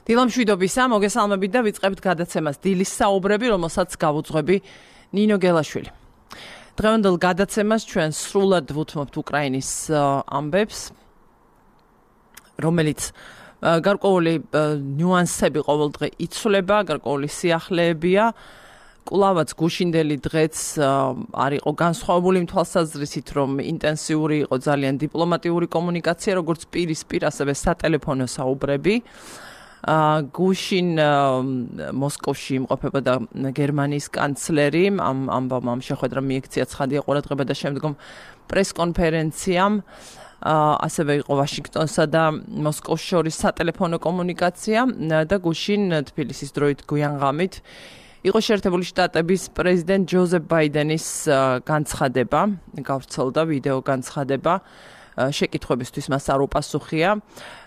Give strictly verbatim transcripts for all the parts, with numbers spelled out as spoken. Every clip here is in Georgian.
დილამშვიდობისა, მოგესალმებით და ვიწყებთ გადაცემას დილის საუბრები, რომელსაც გავუძღვები ნინო გელაშვილი. დღევანდელ გადაცემას ჩვენ სრულად ვუთმობთ უკრაინის ამბებს, რომელიც გარკვეული ნიუანსები ყოველდღე იცვლება, გარკვეული სიახლეებია. კვლავაც გუშინდელი დღეც არ იყო განსხვავებული იმ თვალსაზრისით, რომ ინტენსიური იყო ძალიან დიპლომატიური კომუნიკაცია, როგორც პირისპირ, ასევე სატელეფონო საუბრები. გუშინ მოსკოვში იმყოფებოდა გერმანიის კანცლერი, ამ ამბავმა ამ შეხვედრამ მიექცია ცხადია ყურადღება და შემდგომ პრეს-კონფერენციამ ასევე იყო ვაშინგტონსა და მოსკოვს შორის სატელეფონო კომუნიკაცია და გუშინ თბილისის დროით გვიანღამით იყო შეერთებული შტატების პრეზიდენტ ჯოზეფ ბაიდენის განცხადება, გავრცელდა ვიდეო განცხადება, შეკითხვებისთვის მას არ უპასუხია.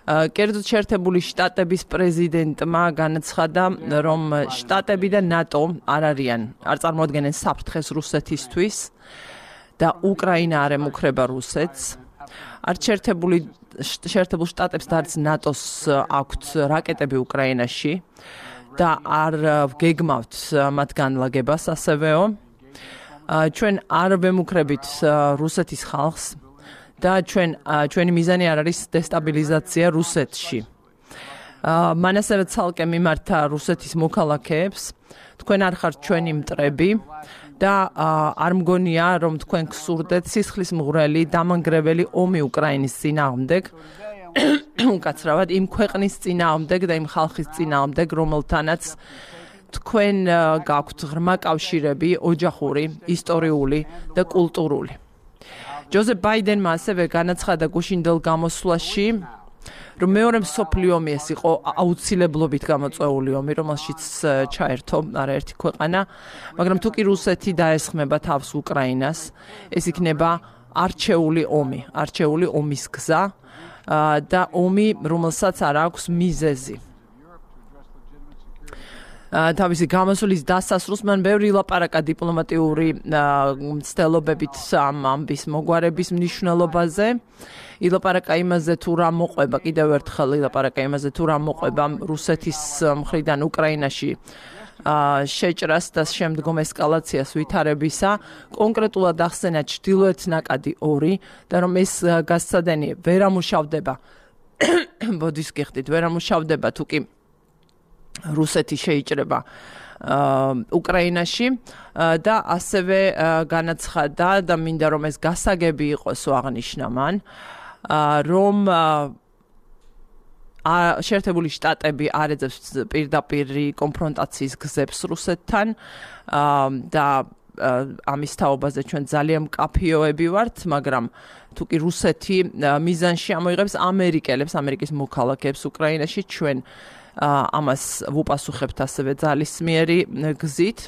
კერძოდ შეერთებული შტატების პრეზიდენტმა განაცხადა, რომ შტატები და ნატო არ არიან, არ წარმოადგენენ საფრთხეს რუსეთისთვის და უკრაინა არ ემუქრება რუსეთს. არც შეერთებული შეერთებულ შტატებს და არც ნატოს აქვთ რაკეტები უკრაინაში და არ გეგმავთ მათ განლაგებას ასევეო. ჩვენ არ ვემუქრებით რუსეთის ხალხს და ჩვენ ჩვენი მიზანი არ არის დესტაბილიზაცია რუსეთში. მან ასევე ცალკე მიმართა რუსეთის მოქალაქეებს, თქვენ არ ხართ ჩვენი მტრები და არ მგონია, რომ თქვენ გსურდეთ სისხლის მღვრელი, დამანგრეველი ომი უკრაინის წინააღმდეგ, უკაცრავად იმ ქვეყნის წინააღმდეგ და იმ ხალხის წინააღმდეგ, რომელთანაც თქვენ გაქვთ ღრმა კავშირები, ოჯახური, ისტორიული და კულტურული. ჯოზეფ ბაიდენმა ასევე განაცხადა გუშინდელ გამოსვლაში, რომ მეორე მსოფლიო ომი ეს იყო აუცილებლობით გამოწვეული ომი, რომელშიც ჩაერთო არაერთი ქვეყანა, მაგრამ თუ კი რუსეთი დაესხმება თავს უკრაინას, ეს იქნება არჩეული ომი, არჩეული ომის გზა და ომი, რომელსაც არ აქვს მიზეზი. თავისი გამოსვლის დასასრულს მან ბევრი ილაპარაკა დიპლომატიური მცდელობებით ამ ამბის მოგვარების მნიშვნელობაზე. ილაპარაკა იმაზე, თუ რა მოყვება, კიდევ ერთხელ ილაპარაკა იმაზე, თუ რა მოყვება რუსეთის მხრიდან უკრაინაში შეჭრას და შემდგომ ესკალაციას ვითარებისა, კონკრეტულად ახსენა ჩრდილოეთ ნაკადი ორი და რომ ეს გასცადენი ვერ ამუშავდება, ბოდის გიხდით, ვერ ამუშავდება თუ კი რუსეთი შეიჭრება უკრაინაში და ასევე განაცხადა და მინდა რომ ეს გასაგები იყოსო აღნიშნა მან, რომ შეერთებული შტატები არ ეძებს პირდაპირი კონფრონტაციის გზებს რუსეთთან და ამის თაობაზე ჩვენ ძალიან მკაფიოები ვართ, მაგრამ თუ კი რუსეთი მიზანში ამოიღებს ამერიკელებს, ამერიკის მოქალაქეებს უკრაინაში, ჩვენ ამას ვუპასუხებთ ასევე ძალისმიერი გზით.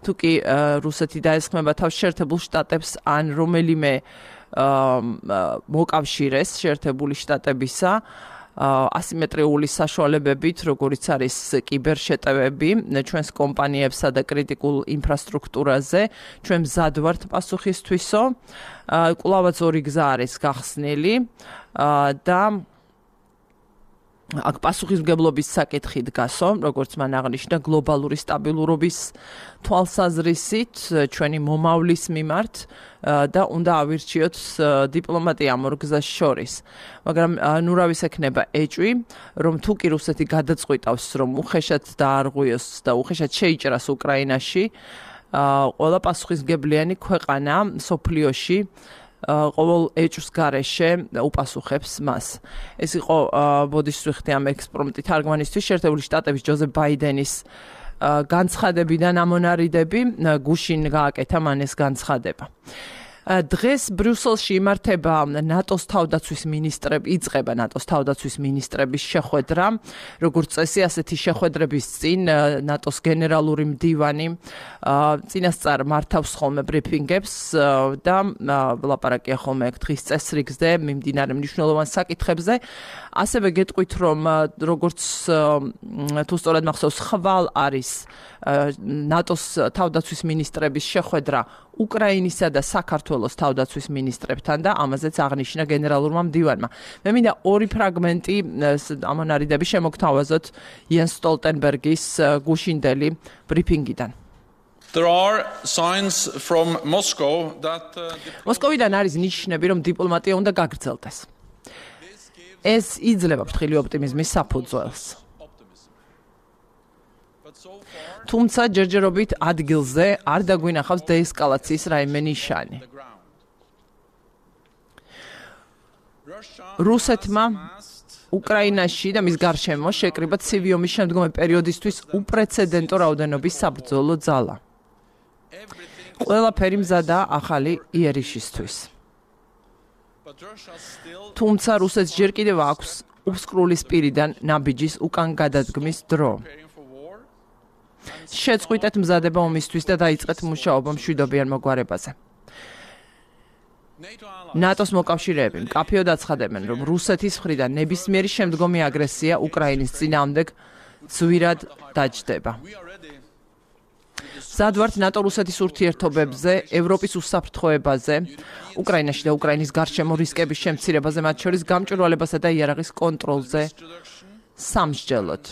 თუ კი რუსეთი დაესხმება თავს შეერთებულ შტატებს ან რომელიმე მოკავშირეს შეერთებული შტატებისა ასიმეტრიული საშუალებებით, როგორიც არის კიბერშეტევები ჩვენს კომპანიებსა და კრიტიკულ ინფრასტრუქტურაზე, ჩვენ მზად ვართ პასუხისთვისო. კვლავაც ორი გზა არის გახსნილი და აქ პასუხისმგებლობის საკითხი დგასო, როგორც მან აღნიშნა, გლობალური სტაბილურობის თვალსაზრისით ჩვენი მომავლის მიმართ და უნდა ავირჩიოთ დიპლომატია ამ ორ გზას შორის. მაგრამ ნურავის ექნება ეჭვი, რომ თუ კი რუსეთი გადაწყვიტავს, რომ უხეშად დაარღვიოს და უხეშად შეიჭრას უკრაინაში, ყველა პასუხისმგებლიანი ქვეყანა მსოფლიოში ყოველ ეჭვს გარეშე უპასუხებს მას. ეს იყო ბოდის ვიხდი ამ ექსპრომტი თარგმანისთვის შეერთებული შტატების ჯოზეფ ბაიდენის განცხადებიდან ამონარიდები, გუშინ გააკეთა მან ეს განცხადება. დღეს ბრიუსელში იმართება ნატოს თავდაცვის მინისტრები, იწყება ნატოს თავდაცვის მინისტრების შეხვედრა, როგორც წესი, ასეთი შეხვედრების წინ ნატოს გენერალური მდივანი წინასწარ მართავს ხოლმე ბრიფინგებს და ლაპარაკია ხოლმე დღის წესრიგზე, მიმდინარე მნიშვნელოვან საკითხებზე. ასევე გეტყვით, რომ როგორც თუ სწორად მახსოვს, ხვალ არის ნატოს თავდაცვის მინისტრების შეხვედრა უკრაინისა და საქართველოს საქართველოს თავდაცვის მინისტრებთან და ამაზეც აღნიშნა გენერალურმა მდივანმა. მე მინდა ორი ფრაგმენტი ამონარიდები შემოგთავაზოთ იენს სტოლტენბერგის გუშინდელი ბრიფინგიდან. There are signs from Moscow that uh, მოსკოვიდან არის ნიშნები, რომ დიპლომატია უნდა გაგრძელდეს. ეს იძლევა ფრთხილი ოპტიმიზმის საფუძველს. თუმცა ჯერჯერობით ადგილზე არ დაგვინახავს დეესკალაციის რაიმე ნიშანი. რუსეთმა უკრაინაში და მის გარშემო შეკრიბა ცივი ომის შემდგომი პერიოდისთვის უპრეცედენტო რაოდენობის საბრძოლო ძალა. ყველაფერი მზადაა ახალი იერიშისთვის. თუმცა რუსეთს ჯერ კიდევ აქვს უსკრულისპირიდან ნაბიჯის უკან გადადგმის დრო. შეწყვიტეთ მზადება ომისთვის და დაიწყეთ მუშაობა მშვიდობიან მოგვარებაზე. ნატოს მოკავშირეები მკაფიოდ აცხადებენ, რომ რუსეთის მხრიდან ნებისმიერი შემდგომი აგრესია უკრაინის წინააღმდეგ ძვირად დაჯდება. მზად ნატო რუსეთის ურთიერთობებზე, ევროპის უსაფრთხოებაზე, უკრაინაში და უკრაინის გარშემო რისკების შემცირებაზე, მათ შორის გამჭვირვალებასა და იარაღის კონტროლზე სამსჯელოდ.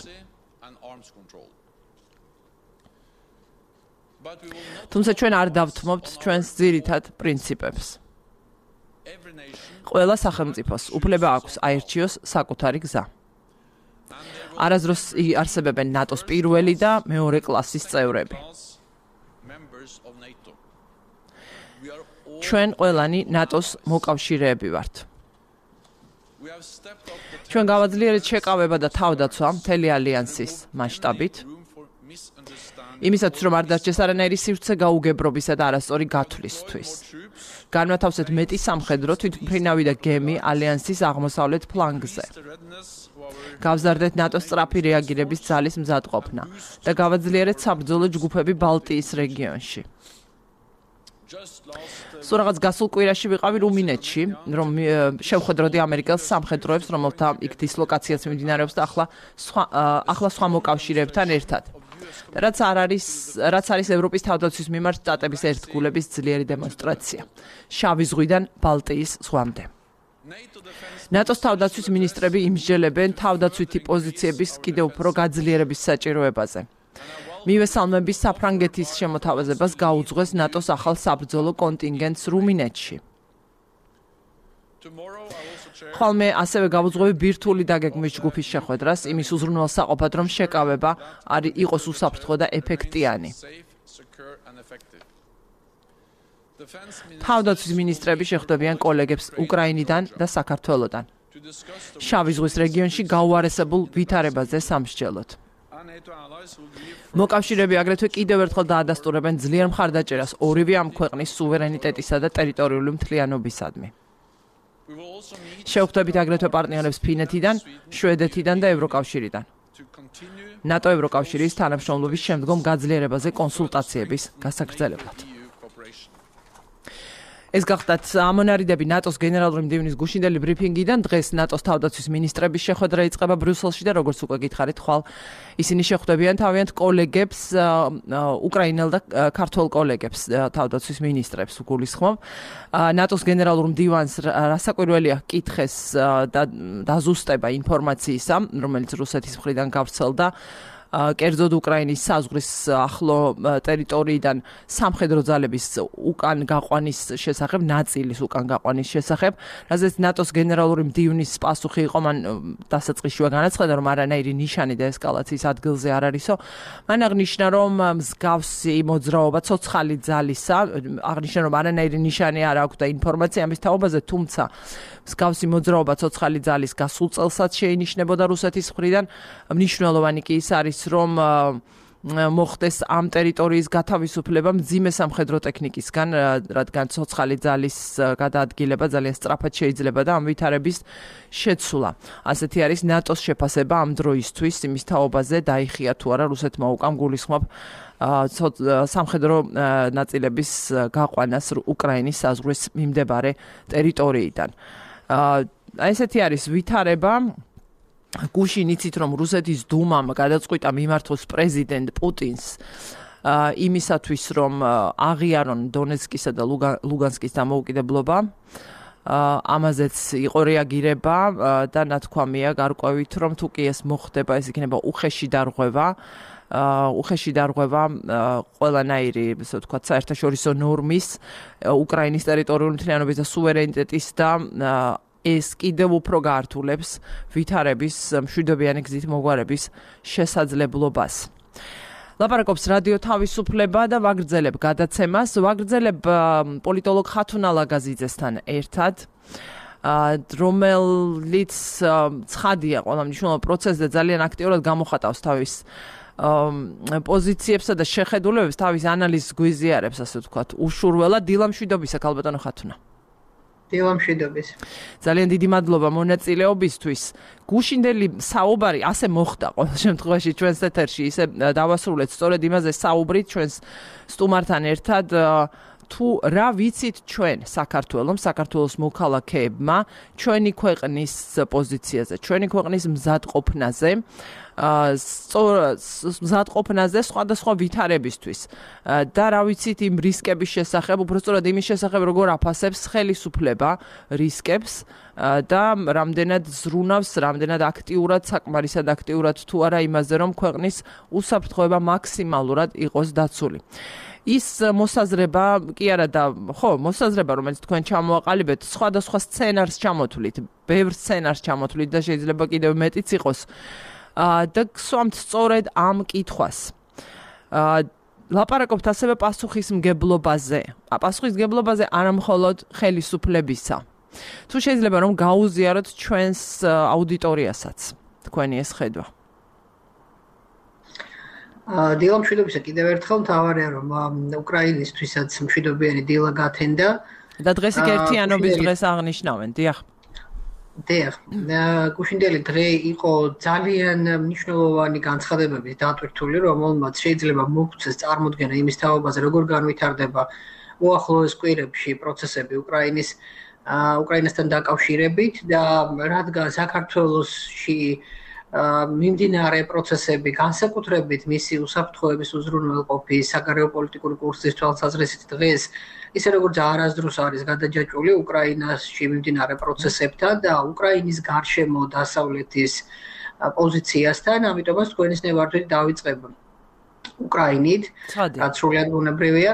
თუმცა ჩვენ არ დავთმობთ ჩვენს ძირითად პრინციპებს. ყველა სახელმწიფოს უფლება აქვს აირჩიოს საკუთარი გზა. არასდროს არსებებენ ნატოს პირველი და მეორე კლასის წევრები. ჩვენ ყველანი ნატოს მოკავშირეები ვართ. ჩვენ გავაძლიერეთ შეკავება და თავდაცვა მთელი ალიანსის მასშტაბით. იმისაც რომ არ დარჩეს არანაირი სივრცე გაუგებრობისა და არასწორი გათვლისთვის. განმათავსეთ მეტი სამხედრო თვითმფრინავი და გემი ალიანსის აღმოსავლეთ ფლანგზე. გავზარდეთ ნატოს სწრაფი რეაგირების ძალის მზადყოფნა და გავაძლიერეთ საბრძოლო ჯგუფები ბალტიის რეგიონში. სულ რაღაც გასულ კვირაში ვიყავი რუმინეთში, რომ შევხვედროდი ამერიკელს სამხედროებს, რომელთა იქ დისლოკაციაც მიმდინარეობს და ახლა სხვა ახლა სხვა მოკავშირეებთან ერთად. რაც არ არის, რაც არის ევროპის თავდაცვის მიმართ შტატების ერთგულების ძლიერი დემონსტრაცია. შავი ზღვიდან ბალტიის ზღვამდე. ნატოს თავდაცვის მინისტრები იმსჯელებენ თავდაცვითი პოზიციების კიდევ უფრო გაძლიერების საჭიროებაზე. მივესალმები საფრანგეთის შემოთავაზებას გაუძღვეს ნატოს ახალ საბრძოლო კონტინგენტს რუმინეთში. ხოლმე ასევე გავუძღვევი ბირთვული დაგეგმვის ჯგუფის შეხვედრას იმის უზრუნველსაყოფად, რომ შეკავება არ იყოს უსაფრთხო და ეფექტიანი. თავდაცვის მინისტრები შეხვდებიან კოლეგებს უკრაინიდან და საქართველოდან. შავი ზღვის რეგიონში გაუარესებულ ვითარებაზე სამსჯელოდ. მოკავშირეები აგრეთვე კიდევ ერთხელ დაადასტურებენ ძლიერ მხარდაჭერას ორივე ამ ქვეყნის სუვერენიტეტისა და ტერიტორიული მთლიანობისადმი. შევხვდებით აგრეთვე პარტნიორებს ფინეთიდან, შვედეთიდან და ევროკავშირიდან. ნატო ევროკავშირის თანამშრომლობის შემდგომ გაძლიერებაზე კონსულტაციების გასაგრძელებლად. ეს გახდათ ამონარიდები ნატოს გენერალური მდივნის გუშინდელი ბრიფინგიდან. დღეს ნატოს თავდაცვის მინისტრების შეხვედრა იწყება ბრიუსელში და როგორც უკვე გითხარით, ხვალ ისინი შეხვდებიან თავიანთ კოლეგებს, უკრაინელ და ქართველ კოლეგებს, თავდაცვის მინისტრებს უგულისხმობ. ნატოს გენერალურ მდივანს რასაკვირველია კითხეს და დაზუსტება ინფორმაციისა, რომელიც რუსეთის მხრიდან გავრცელდა. კერძოდ უკრაინის საზღვრის ახლო ტერიტორიიდან სამხედრო ძალების უკან გაყვანის შესახებ, ნაწილის უკან გაყვანის შესახებ, რაზეც ნატოს გენერალური მდივნის პასუხი იყო, მან დასაწყისშივე განაცხადა, რომ არანაირი ნიშანი და ესკალაციის ადგილზე არ არისო. მან აღნიშნა, რომ მსგავსი მოძრაობა ცოცხალი ძალისა, აღნიშნა, რომ არანაირი ნიშანი არ აქვს და ინფორმაცია ამის თაობაზე, თუმცა მსგავსი მოძრაობა ცოცხალი ძალის გასულ წელსაც შეინიშნებოდა რუსეთის მხრიდან. მნიშვნელოვანი კი ის არის, რომ მოხდეს ამ ტერიტორიის გათავისუფლება მძიმე სამხედრო ტექნიკისგან, რადგან ცოცხალი ძალის გადაადგილება ძალიან სწრაფად შეიძლება და ამ ვითარების შეცვლა. ასეთი არის ნატოს შეფასება ამ დროისთვის, იმის თაობაზე დაიხია თუ არა რუსეთმა უკან გულისხმობ სამხედრო ნაწილების გაყვანას უკრაინის საზღვრის მიმდებარე ტერიტორიიდან. ესეთი არის ვითარება. გუშინ იცით, რომ რუსეთის დუმამ გადაწყვიტა მიმართოს პრეზიდენტ პუტინს იმისათვის რომ აღიარონ დონეცკისა და ლუგანსკის დამოუკიდებლობა. ამაზეც იყო რეაგირება და ნათქვამია გარკვევით რომ თუ კი ეს მოხდება ეს იქნება უხეში დარღვევა უხეში დარღვევა ყველანაირი ასე ვთქვათ საერთაშორისო ნორმის უკრაინის ტერიტორიული მთლიანობის და სუვერენიტეტის და ეს კიდევ უფრო გაართულებს ვითარების მშვიდობიანი გზით მოგვარების შესაძლებლობას. ლაპარაკობს რადიო თავისუფლება და ვაგრძელებ გადაცემას. ვაგრძელებ პოლიტოლოგ ხათუნა ლაგაზიძესთან ერთად, რომელიც ცხადია ყველა მნიშვნელოვან პროცესზე ძალიან აქტიურად გამოხატავს თავის პოზიციებსა და შეხედულებებს, თავის ანალიზს გვიზიარებს, ასე ვთქვათ, უშურველად. დილა მშვიდობისა, ქალბატონო ხათუნა. დილა მშვიდობის. ძალიან დიდი მადლობა მონაწილეობისთვის. გუშინდელი საუბარი ასე მოხდა ყოველ შემთხვევაში ჩვენს ეთერში, ისე დავასრულეთ სწორედ იმაზე საუბრით ჩვენს სტუმართან ერთად, თუ რა ვიცით ჩვენ საქართველოს, საქართველოს მოქალაქეებმა ჩვენი ქვეყნის პოზიციაზე, ჩვენი ქვეყნის მზადყოფნაზე, მზადყოფნაზე სხვადასხვა ვითარებისთვის და რა ვიცით იმ რისკების შესახებ, უბრალოდ იმის შესახებ, როგორ აფასებს ხელისუფლება რისკებს და რამდენად ზრუნავს, რამდენად აქტიურად, საკმარისად აქტიურად თუ არა იმაზე, რომ ქვეყნის უსაფრთხოება მაქსიმალურად იყოს დაცული. ის მოსაზრება კი არა და ხო, მოსაზრება, რომელიც თქვენ ჩამოაყალიბეთ, სხვადასხვა სცენარს ჩამოთვლით, ბევრ სცენარს ჩამოთვლით და შეიძლება კიდევ მეტიც იყოს. და გსვამთ სწორედ ამ კითხვას. ლაპარაკობთ ასევე პასუხისმგებლობაზე. პასუხისმგებლობაზე არა მხოლოდ ხელისუფლებისა. თუ შეიძლება რომ გაუზიაროთ ჩვენს აუდიტორიასაც თქვენი ეს ხედვა. დილა მშვიდობისა კიდევ ერთხელ მთავარია რომ უკრაინისთვისაც მშვიდობიანი დილა გათენდა და დღეს იქ ერთიანობის დღეს აღნიშნავენ. დიახ. დიახ. გუშინდელი დღე იყო ძალიან მნიშვნელოვანი განცხადებების დატვირთული, რომელმაც შეიძლება მოგვცეს წარმოდგენა იმის თაობაზე, როგორ განვითარდება უახლოეს კვირებში პროცესები უკრაინის უკრაინასთან დაკავშირებით და რადგან საქართველოში მიმდინარე პროცესები განსაკუთრებით მისი უსაფრთხოების უზრუნველყოფის საგარეო პოლიტიკური კურსის თვალსაზრისით დღეს ისე როგორც არასდროს არის გადაჯაჭვული უკრაინაში მიმდინარე პროცესებთან და უკრაინის გარშემო დასავლეთის პოზიციასთან, ამიტომაც თქვენის ნებართვით დავიწყებ უკრაინით, რაც სრულად ბუნებრივია.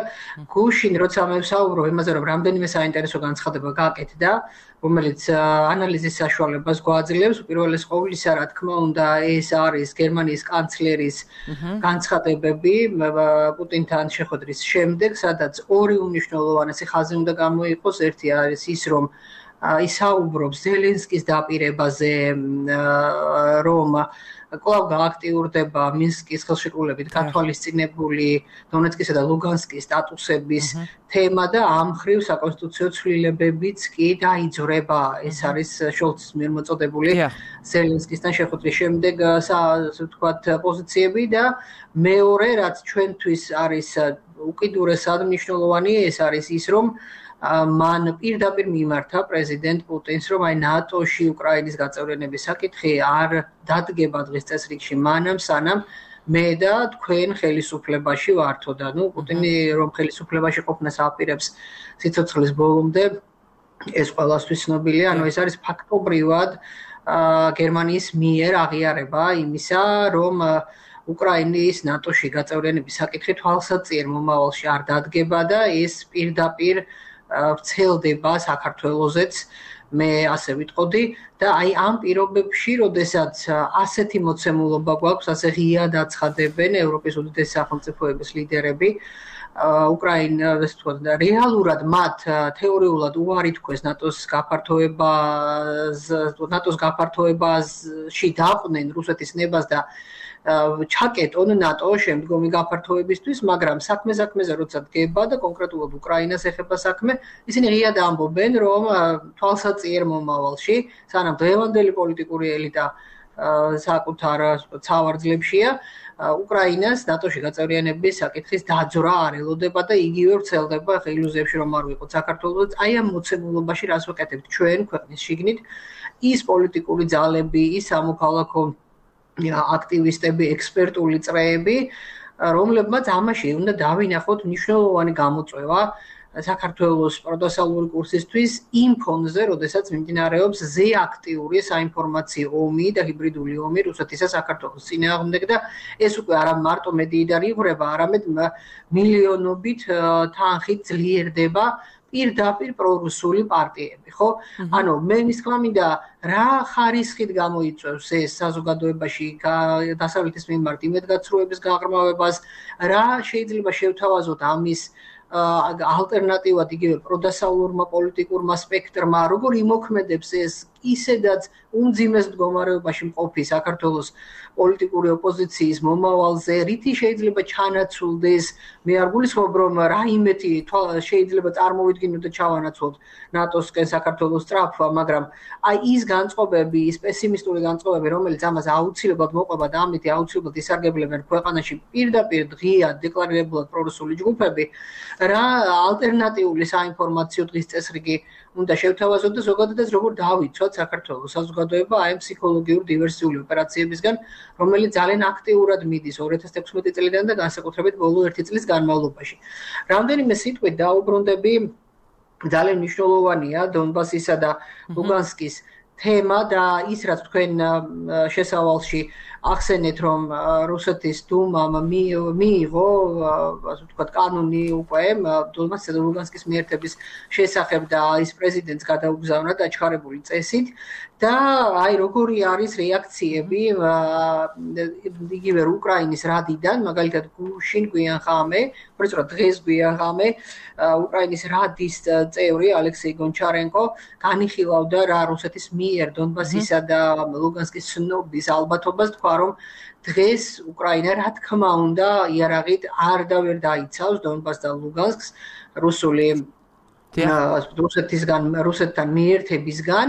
გუშინ როცა მე ვსაუბრობ იმაზე, რომ რამდენიმე საინტერესო განცხადება გააკეთდა, რომელიც ანალიზის საშუალებას გვაძლევს, უპირველეს ყოვლისა, რა თქმა უნდა, ეს არის გერმანიის კანცლერის განცხადებები პუტინთან შეხვედრის შემდეგ, სადაც ორი უმნიშვნელოვანესი ხაზი უნდა გამოიყოს. ერთი არის ის, რომ ისაუბრობს ზელენსკის დაპირებაზე, რომ კვლავ გააქტიურდება მინსკის ხელშეკრულებით გათვალისწინებული დონეცკისა და ლუგანსკის სტატუსების თემა და ამ მხრივ საკონსტიტუციო ცვლილებებიც კი დაიძრება. ეს არის შოლცის მიერ მოწოდებული ზელენსკისთან შეხვედრის შემდეგ, ასე ვთქვათ, პოზიციები და მეორე, რაც ჩვენთვის არის უკიდურესად მნიშვნელოვანი, ეს არის ის, რომ მან პირდაპირ მიმართა პრეზიდენტ პუტინს, რომ აი ნატოში უკრაინის გაწევრიანების საკითხი არ დადგება დღის წესრიგში მანამ, სანამ მე და თქვენ ხელისუფლებაში ვართო და ნუ პუტინი რომ ხელისუფლებაში ყოფნას აპირებს სიცოცხლის ბოლომდე, ეს ყველასთვის ცნობილია, ანუ ეს არის ფაქტობრივად გერმანიის მიერ აღიარება იმისა, რომ უკრაინის ნატოში გაწევრიანების საკითხი თვალსაჩინო მომავალში არ დადგება და ეს პირდაპირ ვრცელდება საქართველოსეც, მე ასე ვიტყოდი და აი ამ პირობებში, როდესაც ასეთი მოცემულობა გვაქვს, ასე ღიად აცხადებენ ევროპის უდიდესი სახელმწიფოების ლიდერები, უკრაინას თქო და რეალურად მათ თეორიულად უარი თქვეს ნატოს გაფართოებას, ნატოს გაფართოებაში დაყვნენ რუსეთის ნებას და ჩაკეტონ ნატო შემდგომი გაფართოებისთვის, მაგრამ საქმე საქმეზე როცა დგება და კონკრეტულად უკრაინას ეხება საქმე, ისინი ღიად ამბობენ, რომ თვალსაჩინო მომავალში, სანამ დღევანდელი პოლიტიკური ელიტა საკუთარ ცავარძლებშია, უკრაინას ნატოში გაწევრიანების საკითხის დაძვრა არ ელოდება და იგივე ვრცელდება ილუზიებში რომ არ ვიყოთ საქართველოს. აი ამ მოცემულობაში რას ვაკეთებთ ჩვენ ქვეყნის შიგნით, ის პოლიტიკური ძალები, ის სამოქალაქო აქტივისტები, ექსპერტული წრეები, რომლებმაც ამაში უნდა დავინახოთ მნიშვნელოვანი გამოწვევა საქართველოს პროდასალური კურსისთვის იმ ფონზე, როდესაც მიმდინარეობს ზეაქტიური საინფორმაციო ომი და ჰიბრიდული ომი რუსეთისა საქართველოს წინააღმდეგ და ეს უკვე არა მარტო მედიიდან იღვრება, არამედ მილიონობით თანხით ძლიერდება პირდაპირ პრორუსული პარტიები, ხო? ანუ მე მის თქმა მინდა რა ხარისხით გამოიწვევს ეს საზოგადოებაში დასავლეთის მიმართ იმედგაცრუების გაღრმავებას, რა შეიძლება შევთავაზოთ ამის ალტერნატივად იგივე პროდასავლურმა პოლიტიკურმა სპექტრმა, როგორ იმოქმედებს ეს ისედაც უმძიმეს მდგომარეობაში მყოფი საქართველოს პოლიტიკური ოპოზიციის მომავალზე, რითი შეიძლება ჩანაცვლდეს, მე არ გულისხმობ, რომ რაიმეთი შეიძლება წარმოვიდგინოთ და ჩავანაცვლოთ ნატოსკენ საქართველოს სწრაფვა, მაგრამ აი ის განწყობები, ის პესიმისტური განწყობები, რომელიც ამას აუცილებლად მოყვება და ამით აუცილებლად ისარგებლებენ ქვეყანაში პირდაპირ დღეა დეკლარირებულად პრორუსული ჯგუფები, რა ალტერნატიული საინფორმაციო დღის წესრიგი უნდა შევთავაზოთ და ზოგადადაც როგორ დავიცვათ საქართველოს საზოგადოება აი ამ ფსიქოლოგიურ დივერსიული ოპერაციებისგან, რომელიც ძალიან აქტიურად მიდის ორი ათას თექვსმეტი წლიდან და განსაკუთრებით ბოლო ერთი წლის განმავლობაში. რამდენიმე სიტყვით დაუბრუნდები, ძალიან მნიშვნელოვანია დონბასისა და ლუგანსკის თემა და ის რაც თქვენ შესავალში ახსენეთ, რომ რუსეთის დუმამ მიიღო, ასე ვთქვათ, კანონი უკვე დონბასისა და ლუგანსკის მიერთების შესახებ და ის პრეზიდენტს გადაუგზავნა დაჩქარებული წესით და აი როგორი არის რეაქციები იგივე უკრაინის რადიდან, მაგალითად გუშინ გვიან ხამე, უბრალოდ დღეს გვიან ხამე უკრაინის რადის წევრი ალექსეი გონჩარენკო განიხილავდა რა რუსეთის მიერ დონბასისა და ლუგანსკის ცნობის ალბათობას, თქვა რომ დღეს უკრაინა რა თქმა უნდა იარაღით არ და ვერ დაიცავს დონბასს და ლუგანსკს რუსული რუსეთისგან რუსეთთან მიერთებისგან,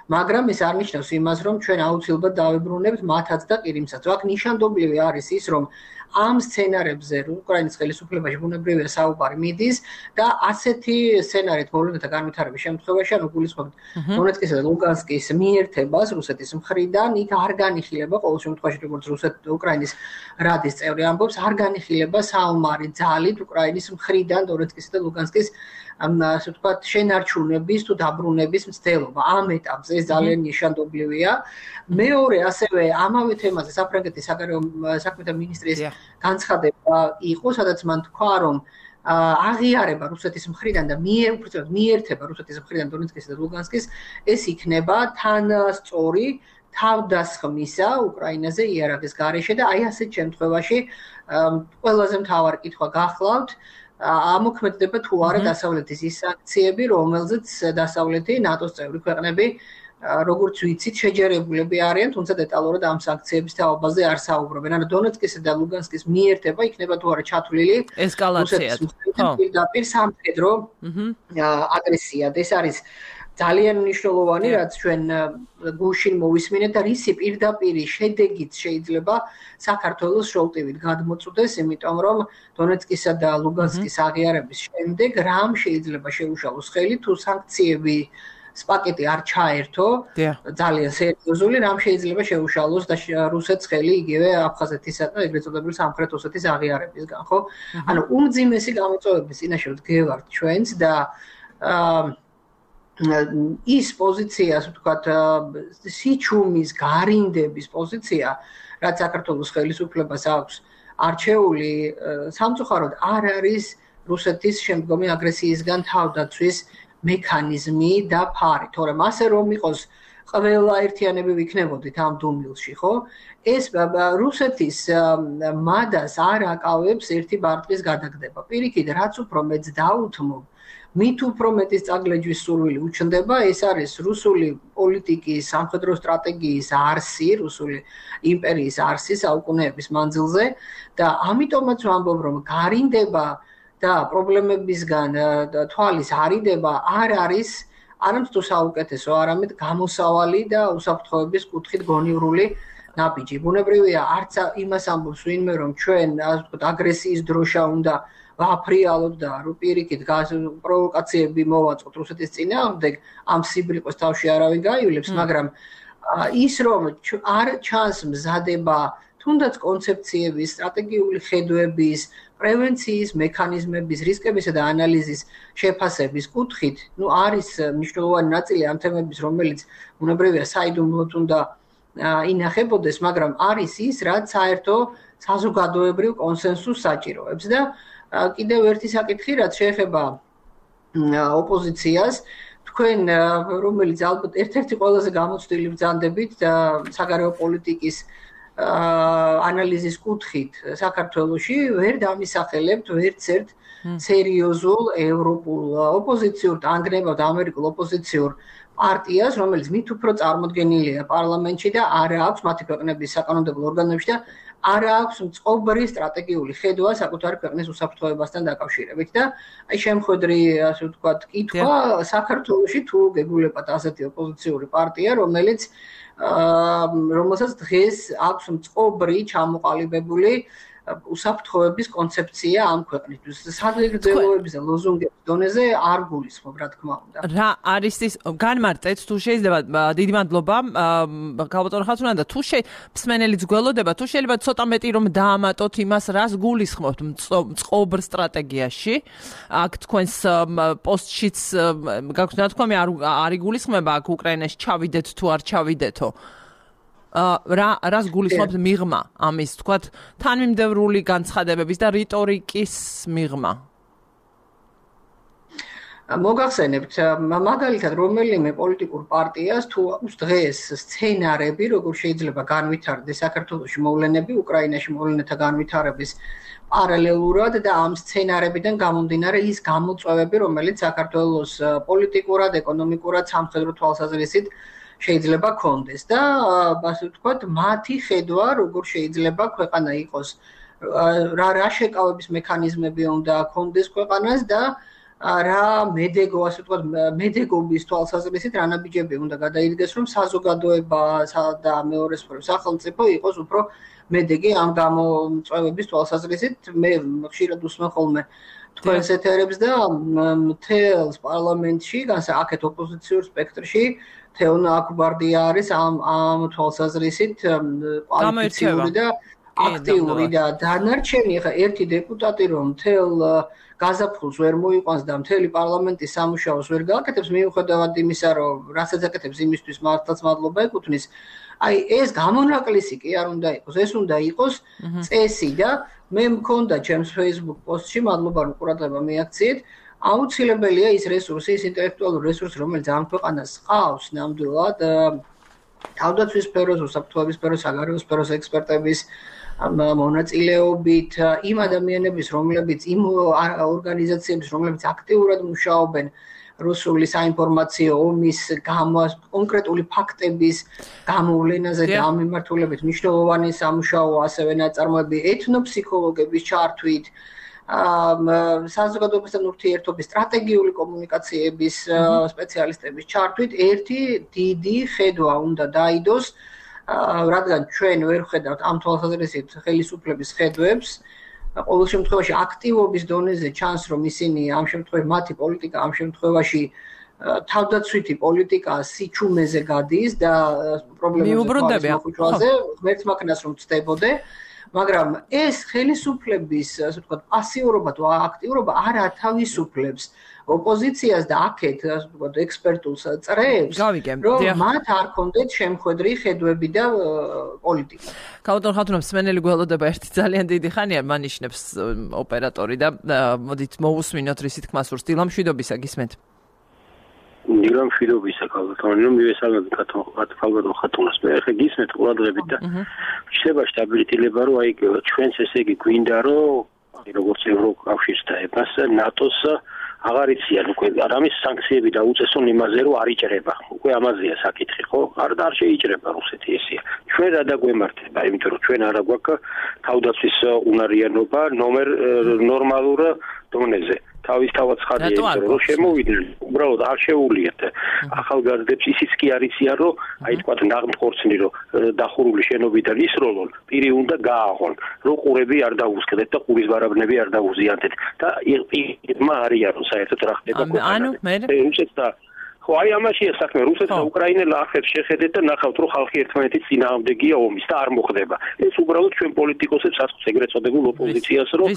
მაგრამ ეს არ ნიშნავს იმას, რომ ჩვენ აუცილებლად დავებრუნებთ მათაც და ყირიმსაც. აქ ნიშანდობლივი არის ის, რომ ამ სცენარებზე უკრაინის ხელისუფლებაში ბუნებრივია საუბარი მიდის და ასეთი სცენარით მოვლენათა განვითარების შემთხვევაში, ანუ გულისხმობთ დონეცკისა და ლუგანსკის მიერთებას რუსეთის მხრიდან, იქ არ განიხილება ყოველ შემთხვევაში, როგორც რუსეთ უკრაინის რადის წევრი ამბობს, არ განიხილება საომარი ძალით უკრაინის მხრიდან დონეცკისა და ლუგანსკის ასე ვთქვათ, შენარჩუნების თუ დაბრუნების მცდელობა. ამ ეტაპზე ეს ძალიან ნიშანდობლივია. მეორე, ასევე ამავე თემაზე საფრანგეთის საგარეო საქმეთა მინისტრის განცხადება იყო, სადაც მან თქვა, რომ აღიარება რუსეთის მხრიდან და მიერ უბრალოდ მიერთება რუსეთის მხრიდან დონეცკისა და ლუგანსკის ეს იქნება თან სწორი თავდასხმისა უკრაინაზე იარაღის გარეშე და აი ასეთ შემთხვევაში ყველაზე მთავარი კითხვა გახლავთ ამოქმედება თუ არა დასავლეთის ის სანქციები, რომელზეც დასავლეთი ნატოს წევრი ქვეყნები როგორც ვიცით შეჯერებულები არიან, თუმცა დეტალურად ამ სანქციების თაობაზე არ საუბრობენ. ანუ დონეცკისა და ლუგანსკის მიერთება იქნება თუ არა ჩათვლილი ესკალაციად. ხო, პირდაპირ სამხედრო აგრესიად. ეს არის ძალიან მნიშვნელოვანი, რაც ჩვენ გუშინ მოვისმინეთ და რისი პირდაპირი შედეგიც შეიძლება საქართველოს შოლტივით გადმოწყვდეს, იმიტომ რომ დონეცკისა და ლუგანსკის აღიარების შემდეგ რამ შეიძლება შეუშალოს ხელი თუ სანქციები პაკეტი არ ჩაერთო, ძალიან სერიოზული, რამ შეიძლება შეუშალოს და რუსეთს ხელი იგივე აფხაზეთისა და ეგრეთ წოდებული სამხრეთ ოსეთის აღიარებისგან, ხო? ანუ უმძიმესი გამოწვევების წინაშე ვდგევართ ჩვენც და ის პოზიცია, ასე ვთქვათ, სიჩუმის გარინდების პოზიცია, რაც საქართველოს ხელისუფლებას აქვს არჩეული, სამწუხაროდ არ არის რუსეთის შემდგომი აგრესიისგან თავდაცვის მექანიზმი და ფარი, თორემ ასე რომ იყოს ყველა ერთიანები ვიქნებოდით ამ დუმილში, ხო? ეს რუსეთის მადას არ აკავებს ერთი ბარტყის გადაგდება. პირიქით, რაც უფრო მეც დაუთმობ, მით უფრო მეტის წაგლეჯვის სურვილი უჩნდება, ეს არის რუსული პოლიტიკის, სამხედრო სტრატეგიის არსი, რუსული იმპერიის არსი საუკუნეების მანძილზე და ამიტომაც ვამბობ, რომ გარინდება და პრობლემებისგან თვალის არიდება არ არის არამედ თუ საუკეთესო, არამედ გამოსავალი და უსაფრთხოების კუთხით გონივრული ნაბიჯი. ბუნებრივია, არც იმას ამბობს ვინმე, რომ ჩვენ, ასე ვთქვათ, აგრესიის დროშა უნდა ვაფრიალოთ და პირიქით პროვოკაციები მოვაწყოთ რუსეთის წინააღმდეგ, ამ სიბრიყოს თავში არავინ გაივლებს, მაგრამ ის რომ არ ჩანს მზადება თუნდაც კონცეფციების, სტრატეგიული ხედვების, პრევენციის მექანიზმების, რისკებისა და ანალიზის შეფასების კუთხით, ну არის მნიშვნელოვანი ნაწილი ამ თემების, რომელიც უნებრივია საიდუმლოდ უნდა ინახებოდეს, მაგრამ არის ის, რაც საერთო საზოგადოებრივ კონსენსუსს საჭიროებს და კიდევ ერთი საკითხი, რაც შეეხება ოპოზიციას, თქვენ რომელიც ალბათ ერთ-ერთი ყველაზე გამოცდილი ბრძანდებით საგარეო პოლიტიკის ანალიზის კუთხით საქართველოში ვერ დამისახელებთ ვერცერთ სერიოზულ ევროპულ ოპოზიციურ ანგრევად ამერიკულ ოპოზიციურ პარტიას, რომელიც მით უფრო წარმოდგენილია პარლამენტში და არა აქვს მათი ქვეყნების საკანონმდებლო ორგანოებში და არა აქვს მწყობრი სტრატეგიული ხედვა საკუთარი ქვეყნის უსაფრთხოებასთან დაკავშირებით და აი შემხედრი ასე ვთქვათ კითხვა საქართველოში თუ გეგულებათ ასეთი ოპოზიციური პარტია, რომელიც რომელსაც დღეს აქვს მწყობრი ჩამოყალიბებული უსაფრთხოების კონცეფცია ამ ქვეყნისთვის. საგრძელოების და ლოზუნგების დონეზე არ გულისხმობ, რა თქმა უნდა. რა არის ის განმარტეთ თუ შეიძლება დიდი მადლობა გალბატონ ხათუნა და თუ მსმენელიც გველოდება, თუ შეიძლება ცოტა მეტი რომ დაამატოთ იმას, რას გულისხმობთ მწყობრ სტრატეგიაში. აქ თქვენს პოსტშიც გაქვთ ნათქვამი არ იგულისხმება აქ უკრაინაში ჩავიდეთ თუ არ ჩავიდეთო. რა რას გულისხმობთ მიღმა ამის თქვათ თანმიმდევრული განცხადებების და რიტორიკის მიღმა მოგახსენებთ მაგალითად რომელიმე პოლიტიკურ პარტიას თუ აქვს დღეს სცენარები როგორ შეიძლება განვითარდეს საქართველოში მოვლენები უკრაინაში მოვლენათა განვითარების პარალელურად და ამ სცენარებიდან გამომდინარე ის გამოწვევები რომელიც საქართველოს პოლიტიკურად ეკონომიკურად სამხედრო თვალსაზრისით შეიძლება კონდეს და ასე ვთქვათ მათი ხედვა როგორ შეიძლება ქვეყანა იყოს რა რა შეკავების მექანიზმები უნდა კონდეს ქვეყანას და რა მედეგო ასე ვთქვათ მედეგობის თვალსაზრისით რა ნაბიჯები უნდა გადაიდგეს რომ საზოგადოება და მეორე სფერო სახელმწიფო იყოს უფრო მედეგი ამ გამოწვევების თვალსაზრისით მე ხშირად უსმენ ხოლმე თქვენს ეთერებს და მთელს პარლამენტში აქეთ ოპოზიციურ სპექტრში თეონა აკუბარდია არის ამ ამ თვალსაზრისით კვალიფიციური და აქტიური და დანარჩენი ხა ერთი დეპუტატი რომ მთელ გაზაფხულს ვერ მოიყვანს და მთელი პარლამენტის სამუშაოს ვერ გააკეთებს მიუხედავად იმისა რომ რასაც აკეთებს იმისთვის მართლაც მადლობა ეკუთვნის აი ეს გამონაკლისი კი არ უნდა იყოს ეს უნდა იყოს წესი და მე მქონდა ჩემს Facebook პოსტში მადლობა რომ ყურადღება მიაქციეთ აუცილებელია ის რესურსი, ის ინტელექტუალური რესურსი, რომელიც ამ ქვეყანას ყავს ნამდვილად თავდაცვის სფეროს, უსაფრთხოების სფეროს, საგარეო სფეროს ექსპერტების მონაწილეობით, იმ ადამიანების, რომლებიც იმ ორგანიზაციების, რომლებიც აქტიურად მუშაობენ რუსული საინფორმაციო ომის კონკრეტული ფაქტების გამოვლენაზე და ამ მიმართულებით მნიშვნელოვანი სამუშაო ასევე ნაწარმოები ეთნოფსიქოლოგების ჩართვით საზოგადოებასთან ურთიერთობის სტრატეგიული კომუნიკაციების სპეციალისტების ჩართვით ერთი დიდი ხედვა უნდა დაიდოს რადგან ჩვენ ვერ ვხედავთ ამ თვალსაზრისით ხელისუფლების ხედვებს ყოველ შემთხვევაში აქტივობის დონეზე ჩანს რომ ისინი ამ შემთხვევაში მათი პოლიტიკა ამ შემთხვევაში თავდაცვითი პოლიტიკა სიჩუმეზე გადის და პრობლემებზე მოხუჭვაზე ღმერთს მაქნას რომ ცდებოდე მაგრამ ეს ხელისუფლების ასე ვთქვათ პასიურობა თუ აქტიურობა არ ათავისუფლებს ოპოზიციას და აქეთ ასე ვთქვათ ექსპერტულ წრეებს რომ მათ არ კონდეთ შემხედრი ხედვები და პოლიტიკა. გალბატონ ხათუნა მსმენელი გველოდება ერთი ძალიან დიდი ხანია მანიშნებს ოპერატორი და მოდით მოусმინოთ რისი თქმა სურს დილამშვიდობისა გისმენთ. დილამშვიდობისა გალბატონი რომ მივესალმებ გალბატონ ხათუნას მე ხე გისმენთ ყურადღებით და შეიძლება სტაბილიტილება რომ აი ჩვენს ესე იგი გვინდა რომ როგორც ევროკავშირს და ებას ნატოს აღარ იციან უკვე რამის სანქციები დაუწესონ იმაზე რომ არ იჭრება უკვე ამაზეა საკითხი ხო არ და არ შეიჭრება რუსეთი ესეა ჩვენ რა დაგვემართება იმიტომ რომ ჩვენ არა გვაქვს თავდაცვის უნარიანობა ნომერ ნორმალურ დონეზე თავისთავად ხარია იმიტომ რომ შემოვიდნენ უბრალოდ არ შეუულიათ ახალგაზრდებს ისიც კი არ იციან რომ აი თქვა ნაღმხორცნი რომ დახურული შენობიდან ისროლონ პირი უნდა გააღონ რომ ყურები არ დაუსკდეთ და ყურის ბარაბნები არ დაუზიანდეთ და პირმა არიან რომ საერთოდ რა ხდება ანუ მე რუსეთს და ხო, აი ამაშია საქმე. რუსეთს და უკრაინელ ახებს შეხედეთ და ნახავთ, რომ ხალხი ერთმანეთის წინააღმდეგია ომის და არ მოხდება. ეს უბრალოდ ჩვენ პოლიტიკოსებს აწყობს ეგრეთ წოდებულ ოპოზიციას, რომ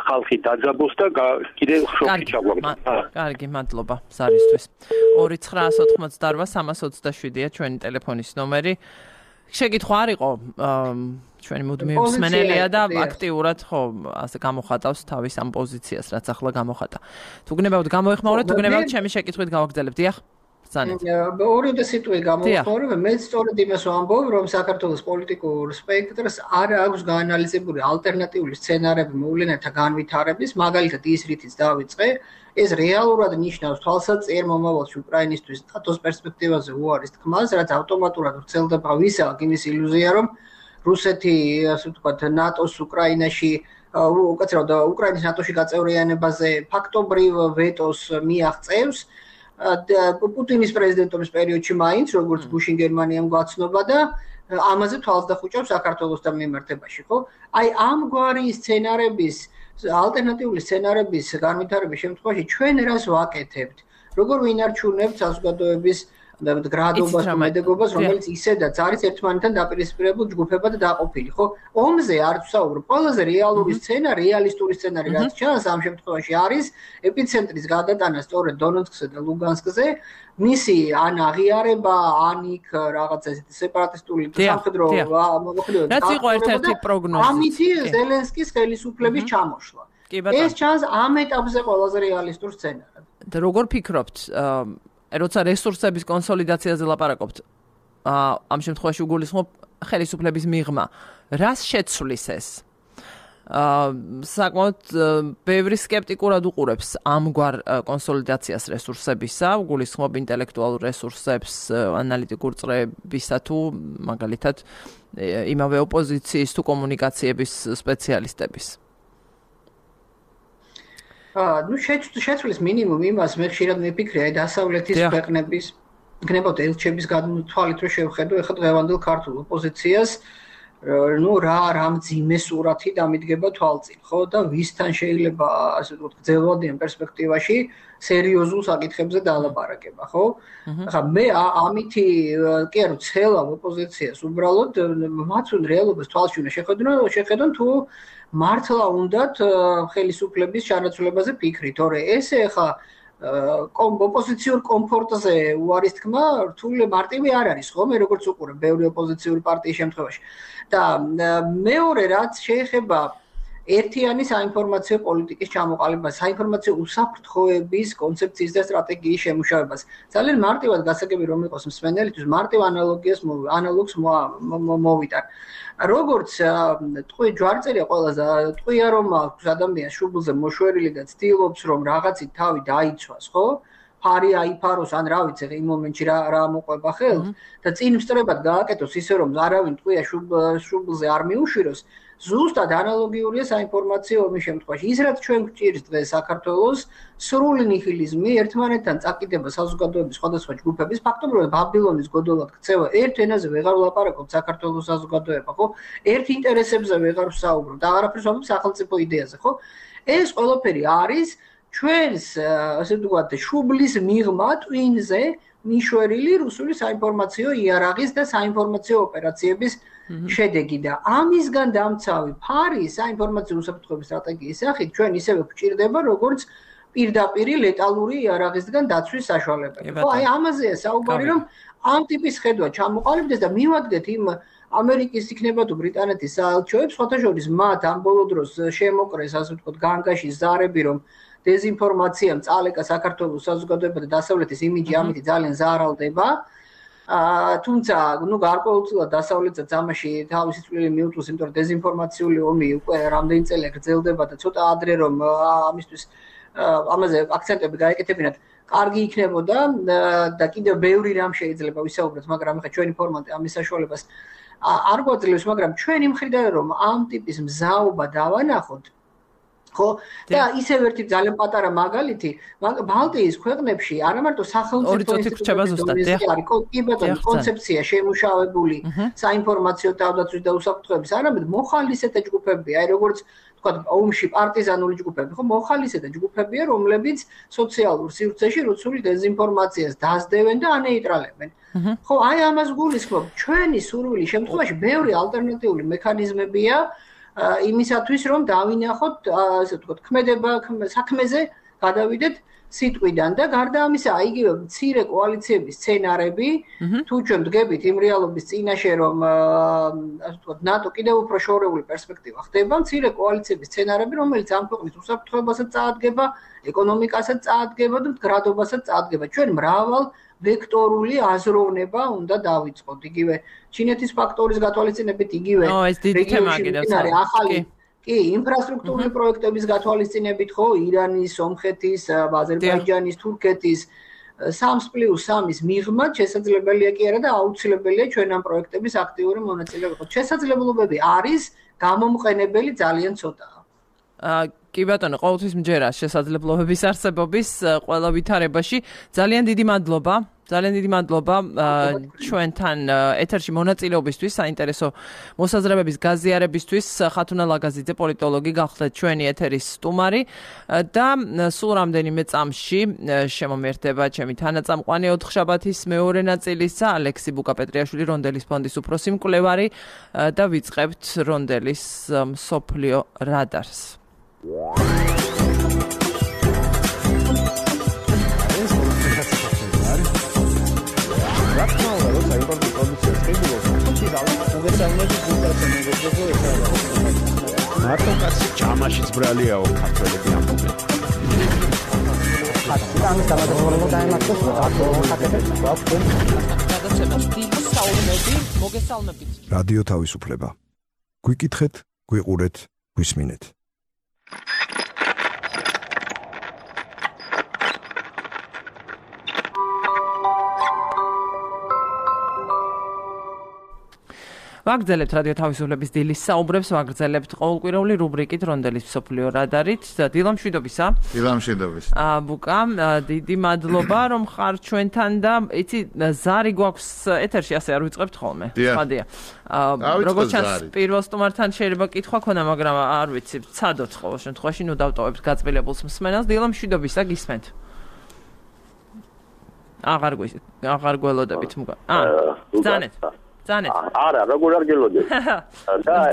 ხალხი დაძაბოს და კიდევ შოკში ჩაგვაგდეს. კარგი, მადლობა ზარისთვის. ორი ცხრაას ოთხმოცდაორვა სამას ოცდაშვიდია ჩვენი ტელეფონის ნომერი. შეკითხვა არ იყო ჩვენი მუდმივი მსმენელია და აქტიურად ხო ასე გამოხატავს თავის ამ პოზიციას, რაც ახლა გამოხატა. თუ გნებავთ გამოეხმაურეთ, თუ გნებავთ ჩემი შეკითხვით გავაგრძელებთ. დიახ. ორი და სიტყვით გამოეხმაურებ, მეც სწორედ იმას ვამბობ, რომ საქართველოს პოლიტიკურ სპექტრს არ აქვს გაანალიზებული ალტერნატიული სცენარები მოვლენათა განვითარების, მაგალითად ის რითიც დავიწყე, ეს რეალურად ნიშნავს თვალსაჩინო მომავალში უკრაინისთვის ნატოს პერსპექტივაზე უარის თქმას, რაც ავტომატურად ვრცელდება ვისაა იმის ილუზია, რომ რუსეთი, ასე ვთქვათ, ნატოს უკრაინაში, უკაცრავად უკრაინის ნატოში გაწევრიანებაზე ფაქტობრივ ვეტოს მიაღწევს. პუტინის პრეზიდენტობის პერიოდში მაინც, როგორც გუშინ გერმანიამ გვაცნობა და ამაზე თვალს დახუჭავს საქართველოსთან მიმართებაში, ხო? აი ამგვარი სცენარების, ალტერნატიული სცენარების განვითარების შემთხვევაში ჩვენ რას ვაკეთებთ? როგორ ვინარჩუნებთ საზოგადოების გრადობას და მედეგობას, რომელიც ისედაც არის ერთმანეთთან დაპირისპირებულ ჯგუფებად დაყოფილი, ხო? ომზე არ ვსაუბრობ. ყველაზე რეალური სცენა, რეალისტური სცენარი, რაც ჩანს ამ შემთხვევაში არის ეპიცენტრის გადატანა სწორედ დონეცკზე და ლუგანსკზე, მისი ან აღიარება, ან იქ რაღაცა ესეთი სეპარატისტული სამხედრო მოქმედება. რაც იყო ერთ-ერთი პროგნოზი. ამით ზელენსკის ხელისუფლების ჩამოშლა. ეს ჩანს ამ ეტაპზე ყველაზე რეალისტურ სცენარად. და როგორ ფიქრობთ, როცა რესურსების კონსოლიდაციაზე ლაპარაკობთ, ამ შემთხვევაში უგულისხმობ ხელისუფლების მიღმა, რას შეცვლის ეს? საკმაოდ ბევრი სკეპტიკურად უყურებს ამგვარ კონსოლიდაციას რესურსებისა, უგულისხმობ ინტელექტუალურ რესურსებს, ანალიტიკურ წრეებისა თუ მაგალითად იმავე ოპოზიციის თუ კომუნიკაციების სპეციალისტების. ну შეცვლის მინიმუმ იმას მე ხშირად მიფიქრე აი დასავლეთის ქვეყნების გნებავთ ელჩების გადმოთვალით რომ შევხედო ეხლა დღევანდელ ქართულ ოპოზიციას ну რა რა მძიმე სურათი დამიდგება თვალწინ ხო და ვისთან შეიძლება ასე ვთქვათ გრძელვადიან პერსპექტივაში სერიოზულ საკითხებზე დაალაპარაკება ხო ახლა მე ამითი კი არა ცელავ ოპოზიციას უბრალოდ მათ უნდა რეალობას თვალში უნდა შეხედონ შეხედონ თუ მართლა უნდათ ხელისუფლების ჩანაცვლებაზე ფიქრი, თორე ესე ხა ოპოზიციურ კომფორტზე უარის თქმა რთული მარტივი არ არის, ხო? მე როგორც უყურებ ბევრი ოპოზიციური პარტიის შემთხვევაში. და მეორე რაც შეეხება ერთიანი საინფორმაციო პოლიტიკის ჩამოყალიბებას, საინფორმაციო უსაფრთხოების კონცეფციის და სტრატეგიის შემუშავებას. ძალიან მარტივად გასაგები რომ იყოს მსმენელისთვის, მარტივ ანალოგიას ანალოგს მოვიტან. როგორც ტყვი ჯვარწერია ყველაზე ტყვია რომ აქვს ადამიანს შუბლზე მოშვერილი და ცდილობს რომ რაღაცით თავი დაიცვას, ხო? ფარი აიფაროს ან რა ვიცი, იმ მომენტში რა რა მოყვება ხელს და წინ მსწრებად გააკეთოს ისე რომ არავინ ტყვია შუბლზე არ მიუშვიროს. ზუსტად ანალოგიურია საინფორმაციო ომის შემთხვევაში. ის რაც ჩვენ გვჭირს დღეს საქართველოს სრული ნიჰილიზმი, ერთმანეთთან წაკიდება საზოგადოების სხვადასხვა ჯგუფების, ფაქტობრივად ბაბილონის გოდოლად ქცევა, ერთ ენაზე ვეღარ ვლაპარაკობ საქართველოს საზოგადოება, ხო? ერთ ინტერესებზე ვეღარ ვსაუბრობ და აღარაფერს ვამბობ სახელმწიფო იდეაზე, ხო? ეს ყველაფერი არის ჩვენს, ასე ვთქვათ, შუბლის მიღმა ტვინზე მიშვერილი რუსული საინფორმაციო იარაღის და საინფორმაციო ოპერაციების შედეგი და ამისგან დამცავი ფარი საინფორმაციო უსაფრთხოების სტრატეგიის სახით ჩვენ ისევე გვჭირდება როგორც პირდაპირი ლეტალური იარაღისგან დაცვის საშუალებები. ხო, აი ამაზეა საუბარი რომ ამ ტიპის ხედვა ჩამოყალიბდეს და მივადგეთ იმ ამერიკის იქნება თუ ბრიტანეთის საელჩოებს, სხვათა შორის მათ ამ ბოლო დროს შემოკრეს, ასე ვთქვათ, განგაში ზარები რომ დეზინფორმაციამ წალეკა საქართველოს საზოგადოება და დასავლეთის იმიჯი ამით ძალიან ზარალდება. აა თუმცა, ну, გარკვეულწილად დასავლეთსაც ამაში თავისი წვლილი მიუწვევს, იმიტომ რომ დეზინფორმაციული ომი უკვე რამდენი წელია გრძელდება და ცოტა ადრე რომ ამისთვის ამაზე აქცენტები გაეკეთებინათ, კარგი იქნებოდა და კიდევ ბევრი რამ შეიძლება ვისაუბროთ, მაგრამ ეხლა ჩვენი ფორმატი ამის საშუალებას არ გვაძლევს, მაგრამ ჩვენი მხრიდან რომ ამ ტიპის მზაობა დავანახოთ ხო და ისევ ერთი ძალიან პატარა მაგალითი ბალტიის ქვეყნებში არა მარტო სახელმწიფო ინსტიტუტები არის კი ბატონო კონცეფცია შემუშავებული საინფორმაციო თავდაცვის და უსაფრთხოების არამედ მოხალისეთა ჯგუფები აი როგორც თქვა ომში პარტიზანული ჯგუფები ხო მოხალისეთა ჯგუფებია რომლებიც სოციალურ სივრცეში რუსული დეზინფორმაციას დაასდევენ და ანეიტრალებენ ხო აი ამას გულისხმობ ჩვენი სურვილი შემთხვევაში ბევრი ალტერნატიული მექანიზმებია იმისათვის რომ დავინახოთ ასე ვთქვათ ქმედება საქმეზე გადავიდეთ სიტყვიდან და გარდა ამისა იგივე მცირე კოალიციების სცენარები თუ ჩვენ დგებით იმ რეალობის წინაშე რომ ასე ვთქვათ ნატო კიდევ უფრო შორეული პერსპექტივა ხდება მცირე კოალიციების სცენარები რომელიც ამ ქვეყნის უსაფრთხოებასაც წაადგება ეკონომიკასაც წაადგება და მდგრადობასაც წაადგება ჩვენ მრავალ ვექტორული აზროვნება უნდა დავიწყოთ იგივე ჩინეთის ფაქტორის გათვალისწინებით იგივე რეგიონში ახალი კი ინფრასტრუქტურული პროექტების გათვალისწინებით ხო ირანის, სომხეთის, აზერბაიჯანის, თურქეთის სამს პლუს სამის მიღმა შესაძლებელია კი არა და აუცილებელია ჩვენ ამ პროექტების აქტიური მონაწილე ვიყოთ. შესაძლებლობები არის, გამომყენებელი ძალიან ცოტაა. კი ბატონო, ყოველთვის მჯერა შესაძლებლობების არსებობის ყველა ვითარებაში. ძალიან დიდი მადლობა. ძალიან დიდი მადლობა ჩვენთან ეთერში მონაწილეობისთვის, საინტერესო მოსაზრებების გაზიარებისთვის. ხათუნა ლაგაზიძე, პოლიტოლოგი, გახლდეთ ჩვენი ეთერის სტუმარი და სულ რამდენიმე წამში შემომერთება ჩემი თანაწამყვანი ოთხშაბათის მეორე ნაწილისა, ალექსი ბუკა-პეტრიაშვილი, რონდელის ფონდის უფროსი მკვლევარი და ვიწყებთ რონდელის მსოფლიო რადარს. მარტო კაცი ჯამაშიც ბრალიაო ქართველები ამბობენ. ამის დამადროულობა დაემართოს რადიო თავისუფლება. გვიკითხეთ, გვიყურეთ, გვისმინეთ. ვაგრძელებთ რადიო თავისუფლების დილის საუბრებს, ვაგრძელებთ ყოველკვირეული რუბრიკით რონდელის მსოფლიო რადარით. დილა მშვიდობისა. დილა მშვიდობისა. ბუკა, დიდი მადლობა რომ ხარ ჩვენთან და იცი ზარი გვაქვს ეთერში, ასე არ ვიწყებთ ხოლმე. ხადია. როგორც ჩანს პირველ სტუმართან შეიძლება კითხვა ქონა, მაგრამ არ ვიცი, ცადოთ ყოველ შემთხვევაში, ნუ დავტოვებთ გაწმილებულს მსმენელს. დილა მშვიდობისა, გისმენთ. აღარ გვი, აღარ გველოდებით მგა. აა, ბრძანეთ. ზანეთ. არა, როგორ არ გელოდეთ.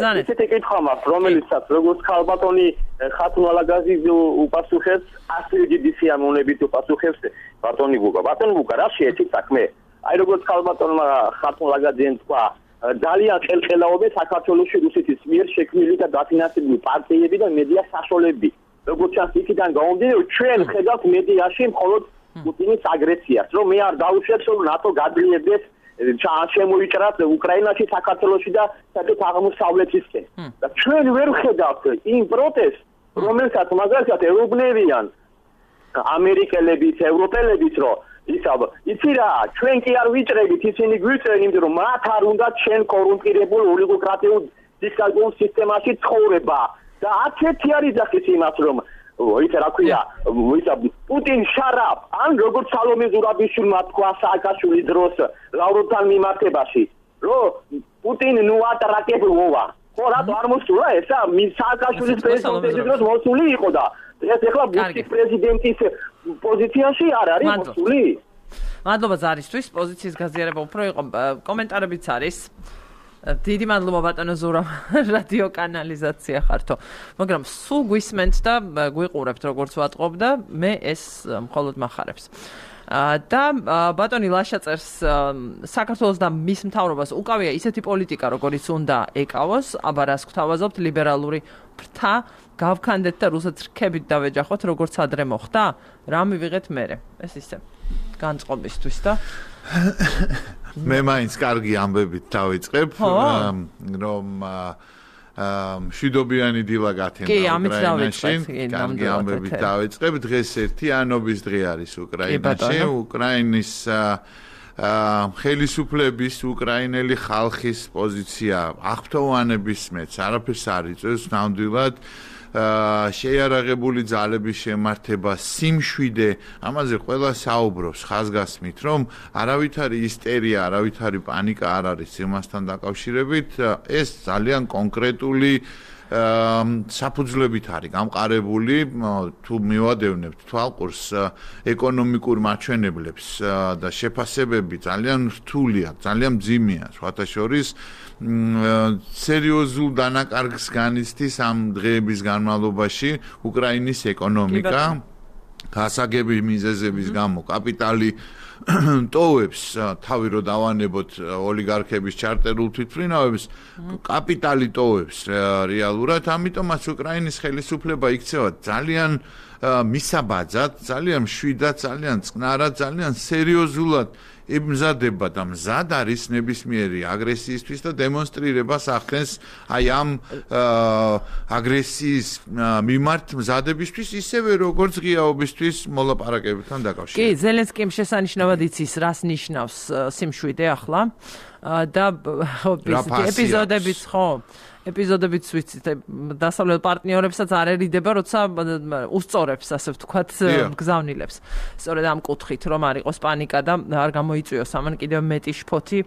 და ისეთი კითხვა მაქვს, რომელიცაც როგორც ქალბატონი ხათუნა ლაგაზიძე უპასუხებს, ასე დიდი სიამოვნებით უპასუხებს ბატონი ბუკა. ბატონი ბუკა, რა შეეცით საქმე? აი როგორც ქალბატონმა ხათუნა ლაგაზიძემ თქვა, ძალიან ხელხელაობენ საქართველოში რუსეთის მიერ შექმნილი და დაფინანსებული პარტიები და მედია საშუალებები. როგორც ჩანს, იქიდან გამომდინარე, ჩვენ ხედავთ მედიაში მხოლოდ პუტინის აგრესიას, რომ მე არ დაუშვებს, რომ ნატო გადლიებდეს შემოიჭრათ უკრაინაში, საქართველოში და საერთოდ აღმოსავლეთისკენ. და ჩვენ ვერ ხედავთ იმ პროტესტს, რომელსაც მაგალითად ეუბნებიან ამერიკელებიც, ევროპელებიც, რომ ისა იცი რა, ჩვენ კი არ ვიჭრებით, ისინი გვიჭრენ, იმიტომ რომ მათ არ უნდათ შენ კორუმპირებულ ოლიგოკრატიულ დიქტატურულ სისტემაში ცხოვრება. და არც ერთი არ იძახის იმას, რომ ისა რა ქვია, ისა პუტინ შარაპ, ან როგორც სალომე ზურაბიშვილმა თქვა სააკაშვილის დროს ლავროვთან მიმართებაში, რომ პუტინ ნუ ატრაკებლოვა. ხო, რატო არ მოსულა ესა? სააკაშვილის პრეზიდენტის დროს მოსული იყო და ეს ეხლა ბუშის პრეზიდენტის პოზიციაში არ არის მოსული. მადლობა ზარისთვის, პოზიციის გაზიარება უფრო იყო, კომენტარებიც არის. დიდი მადლობა ბატონო ზურა, რადიო კანალიზაცია ხართო. მაგრამ სულ გვისმენთ და გვიყურებთ როგორც ვატყობ და მე ეს მხოლოდ მახარებს. და ბატონი ლაშა წერს, საქართველოს და მის მთავრობას უკავია ისეთი პოლიტიკა, როგორიც უნდა ეკავოს, აბა რას გვთავაზობთ, ლიბერალური ფრთა გავქანდეთ და რუსეთს რქებით დავეჯახოთ, როგორც ადრე მოხდა? რა მივიღეთ მერე? ეს ისე განწყობისთვის და მე მაინც კარგი ამბებით დავიწყებ, რომ მშვიდობიანი დილა გათენდა უკრაინაში. კარგი ამბებით დავიწყებ. დღეს ერთი ანობის დღე არის უკრაინაში. უკრაინის ხელისუფლების, უკრაინელი ხალხის პოზიცია აღფრთოვანების მეც არაფერს არ იწევს, ნამდვილად შეიარაღებული ძალების შემართება, სიმშვიდე, ამაზე ყველა საუბრობს ხაზგასმით, რომ არავითარი ისტერია, არავითარი პანიკა არ არის იმასთან დაკავშირებით, ეს ძალიან კონკრეტული საფუძვლებით არის გამყარებული, თუ მივადევნებთ თვალყურს ეკონომიკურ მაჩვენებლებს და შეფასებები ძალიან რთულია, ძალიან მძიმეა, სხვათა შორის სერიოზულ დანაკარგს განიცდის ამ დღეების განმავლობაში უკრაინის ეკონომიკა, გასაგები მიზეზების გამო კაპიტალი ტოვებს თავი რო დავანებოთ ოლიგარქების ჩარტერულ თვითმფრინავებს კაპიტალი ტოვებს რეალურად ამიტომაც უკრაინის ხელისუფლება იქცევა ძალიან მისაბაძად ძალიან მშვიდად ძალიან წყნარად ძალიან სერიოზულად ემზადება და მზად არის ნებისმიერი აგრესიისთვის და დემონსტრირებას ახდენს აი ამ აგრესიის მიმართ მზადებისთვის ისევე როგორც ღიაობისთვის მოლაპარაკებებთან დაკავშირებით. კი, ზელენსკიმ შესანიშნავად იცის, რას ნიშნავს სიმშვიდე ახლა და ეპიზოდებიც ხო ეპიზოდებიც ვიცით დასავლელ პარტნიორებსაც არ ერიდება, როცა უსწორებს, ასე ვთქვათ, გზავნილებს. სწორედ ამ კუთხით, რომ არ იყოს პანიკა და არ გამოიწვიოს ამან კიდევ მეტი შფოთი,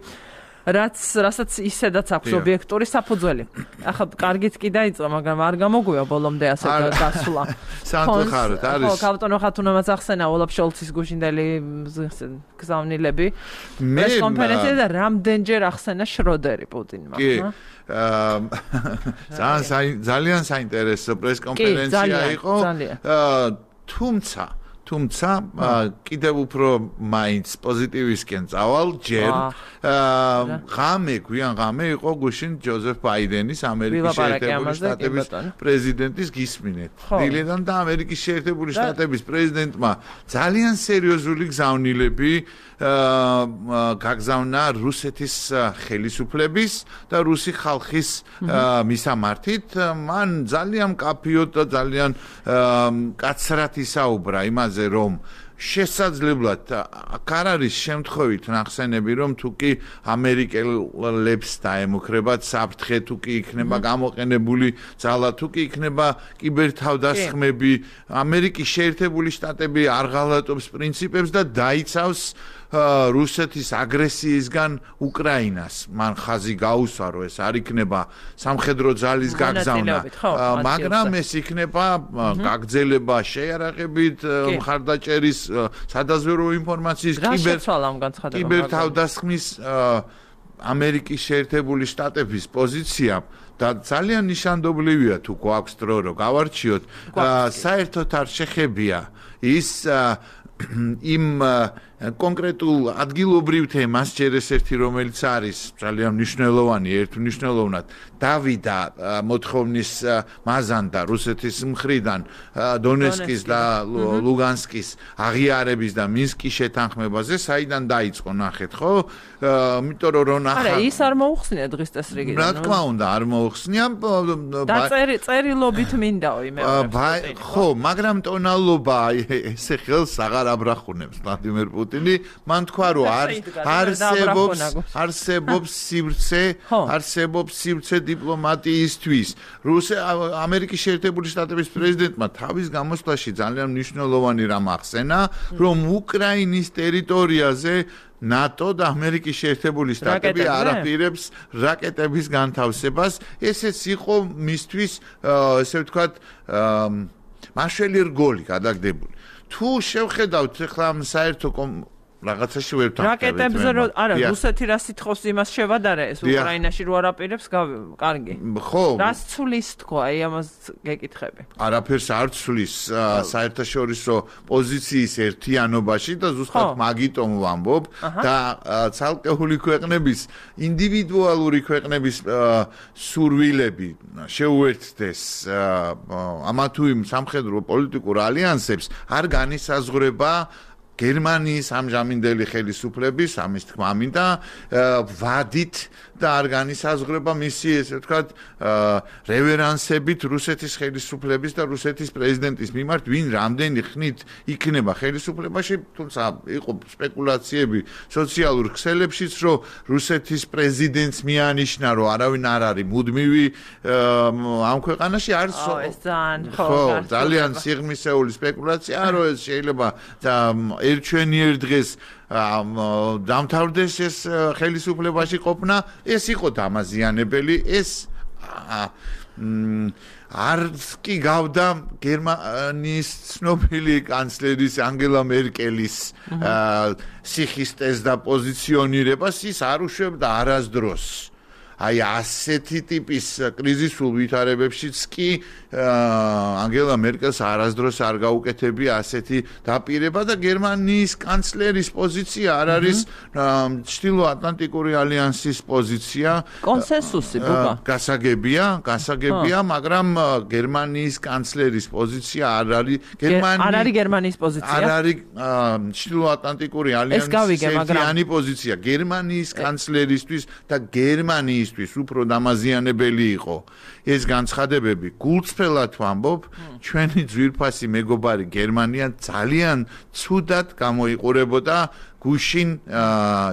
რაც რასაც ისედაც აქვს ობიექტური საფუძველი. ახლა კარგით კი დაიწყო, მაგრამ არ გამოგვია ბოლომდე ასე გასვლა. სამწუხაროდ არის. ხო, კაპიტონ ხათუნამაც ახსენა ოლაფ შოლცის გუშინდელი გზავნილები. ეს კონფერენცია და რამდენჯერ ახსენა შროდერი პუტინმა. კი. ძალიან საინტერესო პრესკონფერენცია იყო. თუმცა თუმცა კიდევ უფრო მაინც პოზიტივისკენ წავალ ჯერ ღამე გვიან ღამე იყო გუშინ ჯოზეფ ბაიდენის ამერიკის შეერთებული შტატების პრეზიდენტის გისმინეთ დილიდან და ამერიკის შეერთებული შტატების პრეზიდენტმა ძალიან სერიოზული გზავნილები გაგზავნა რუსეთის ხელისუფლების და რუსი ხალხის მისამართით მან ძალიან კაფიოდ და ძალიან კაცრად ისაუბრა იმაზე რომ შესაძლებლად აქ არ არის შემთხვევით ნახსენები რომ თუ კი ამერიკელებს დაემუქრებათ საფრთხე თუ კი იქნება გამოყენებული ძალა თუ კი იქნება კიბერთავდასხმები ამერიკის შეერთებული შტატები არ ღალატობს პრინციპებს და დაიცავს რუსეთის აგრესიისგან უკრაინას მან ხაზი გაუსვა რომ ეს არ იქნება სამხედრო ძალის გაგზავნა მაგრამ ეს იქნება გაგრძელება შეიარაღებით მხარდაჭერის სადაზვერვო ინფორმაციის კიბერთავდასხმის ამერიკის შეერთებული შტატების პოზიცია და ძალიან ნიშანდობლივია თუ გვაქვს დრო რომ გავარჩიოთ საერთოდ არ შეხებია ის იმ კონკრეტულ ადგილობრივ თემას ჯერ ეს ერთი რომელიც არის ძალიან მნიშვნელოვანი ერთმნიშვნელოვნად დავიდა მოთხოვნის მაზანდა რუსეთის მხრიდან დონეცკის და ლუგანსკის აღიარების და მინსკის შეთანხმებაზე საიდან დაიწყო ნახეთ ხო იმიტომ რომ ნახა არა ის არ მოუხსნია დღის წესრიგიდან რა თქმა უნდა არ მოუხსნია და წერი წერილობით მინდაო იმეორებს ხო მაგრამ ტონალობა ესე ხელს აღარ აბრახუნებს ვლადიმერ პუტინი მან თქვა რომ არსებობს არსებობს სივრცე არსებობს სივრცე დიპლომატიისთვის რუსი ამერიკის შეერთებული შტატების პრეზიდენტმა თავის გამოსვლაში ძალიან მნიშვნელოვანი რამ ახსენა რომ უკრაინის ტერიტორიაზე ნატო და ამერიკის შეერთებული შტატები არაპირებს რაკეტების განთავსებას ესეც იყო მისთვის ესე ვთქვათ მაშველი რგოლი გადაგდებული თუ შევხედავთ ახლა საერთო რაღაცაში ვერ ვთანხმდებით. რაკეტებზე რო არა, რუსეთი რა სიტყვის იმას შევადარა ეს უკრაინაში რო არაპირებს, კარგი. ხო. რას ცulis თქვა, აი ამას გეკითხები. არაფერს არ ცulis საერთაშორისო პოზიციის ერთიანობაში და ზუსტად მაგიტომ ვამბობ და ცალკეული ქვეყნების ინდივიდუალური ქვეყნების სურვილები შეუერთდეს ამა თუ იმ სამხედრო პოლიტიკურ ალიანსებს არ განისაზღვრება გერმანიის ამჟამინდელი ხელისუფლების ამის თქმა მინდა ვადით და არ განისაზღვრება მისი ესე ვთქვათ რევერანსებით რუსეთის ხელისუფლების და რუსეთის პრეზიდენტის მიმართ ვინ რამდენი ხნით იქნება ხელისუფლებაში თუმცა იყო სპეკულაციები სოციალურ ქსელებშიც რომ რუსეთის პრეზიდენტს მიანიშნა რომ არავინ არ არის მუდმივი ამ ქვეყანაში არის ხო ძალიან სიღრმისეული სპეკულაციაა რომ ეს შეიძლება ერჩვენიერ დღეს დამთავრდეს ეს ხელისუფლებაში ყოფნა ეს იყო დამაზიანებელი ეს არც კი გავდა გერმანიის ცნობილი კანცლერის ანგელა მერკელის სიხისტეს და პოზიციონირებას ის არ უშვებდა არასდროს აი ასეთი ტიპის კრიზისულ ვითარებებშიც კი ანგელა მერკელს არასდროს არ გაუკეთებია ასეთი დაპირება და გერმანიის კანცლერის პოზიცია არ არის ჩრდილოატლანტიკური ალიანსის პოზიცია კონსენსუსი ბუბა გასაგებია გასაგებია მაგრამ გერმანიის კანცლერის პოზიცია არ არის გერმანიის არ არის გერმანიის პოზიცია არ არის ჩრდილოატლანტიკური ალიანსის ერთიანი პოზიცია გერმანიის კანცლერისთვის და გერმანიის უფრო დამაზიანებელი იყო ეს განცხადებები გულწრფელად ვამბობ ჩვენი ძვირფასი მეგობარი გერმანია ძალიან ცუდად გამოიყურებოდა გუშინ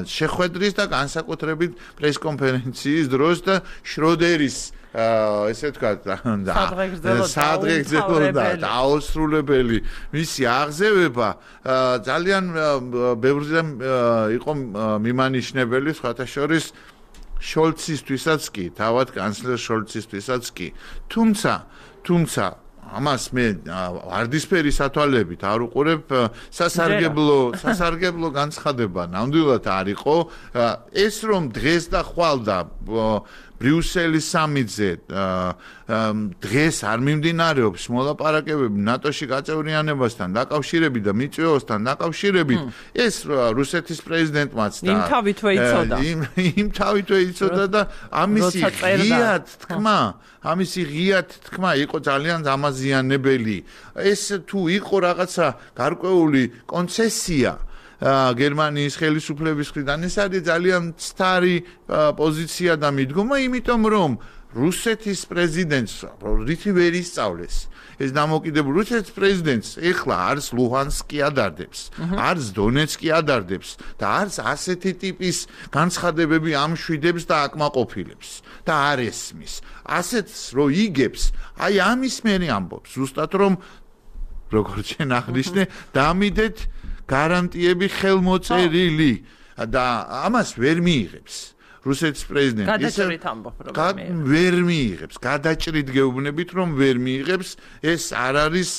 შეხვედრის და განსაკუთრებით პრესკონფერენციის დროს და შროდერის ესე ვთქვათ სადღეგრძელო და დაუსრულებელი მისი აღზევება ძალიან ბევრზე იყო მიმანიშნებელი სხვათა შორის შოლცისთვისაც კი, თავად კანცლერ შოლცისთვისაც კი. თუმცა, თუმცა ამას მე ვარდისფერი სათვალებით არ უყურებ სასარგებლო სასარგებლო განცხადება ნამდვილად არ იყო ეს რომ დღეს და ხვალ და ბრიუსელის სამიტზე დღეს არ მიმდინარეობს მოლაპარაკებები ნატოში გაწევრიანებასთან დაკავშირებით და მიწვეოსთან დაკავშირებით ეს რუსეთის პრეზიდენტმაც და იმ თავითვე იცოდა იმ თავითვე იცოდა და ამისი ღიად თქმა ამისი ღიად თქმა იყო ძალიან დამაზიანებელი ეს თუ იყო რაღაცა გარკვეული კონცესია გერმანიის ხელისუფლების მხრიდან ეს არის ძალიან მცდარი პოზიცია და მიდგომა იმიტომ რომ რუსეთის პრეზიდენტს რითი ვერ ისწავლეს ეს დამოკიდებული რუსეთის პრეზიდენტს ეხლა არც ლუჰანსკი ადარდებს არც დონეცკი ადარდებს და არც ასეთი ტიპის განცხადებები ამშვიდებს და აკმაყოფილებს და არ ესმის ასეთს რო იგებს აი ამის მერე ამბობს ზუსტად რომ როგორც შენ აღნიშნე დამიდეთ გარანტიები ხელმოწერილი და ამას ვერ მიიღებს რუსეთის პრეზიდენტი გადაჭრით ამბობ რომ ვერ მიიღებს გადაჭრით გეუბნებით რომ ვერ მიიღებს ეს არ არის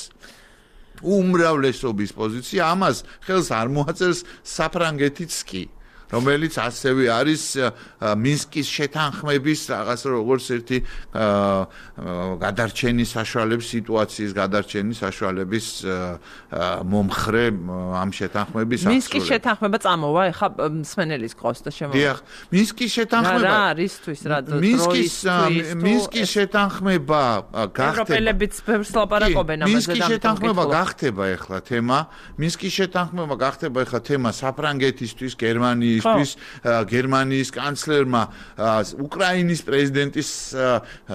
უმრავლესობის პოზიცია ამას ხელს არ მოაწერს საფრანგეთიც კი რომელიც ასევე არის მინსკის შეთანხმების რაღაც როგორც ერთი გადარჩენის საშუალების სიტუაციის გადარჩენის საშუალების მომხრე ამ შეთანხმების აღსრულება. მინსკის შეთანხმება წამოვა, ეხა მსმენელის ყავს და შემოვა. დიახ, მინსკის შეთანხმება რა არისთვის რა მინსკის მინსკის შეთანხმება გახდება. ევროპელებიც ბევრს ლაპარაკობენ ამაზე და მინსკის შეთანხმება გახდება ეხლა თემა. მინსკის შეთანხმება გახდება ეხლა თემა საფრანგეთისთვის, გერმანიის გერმანიის კანცლერმა უკრაინის პრეზიდენტის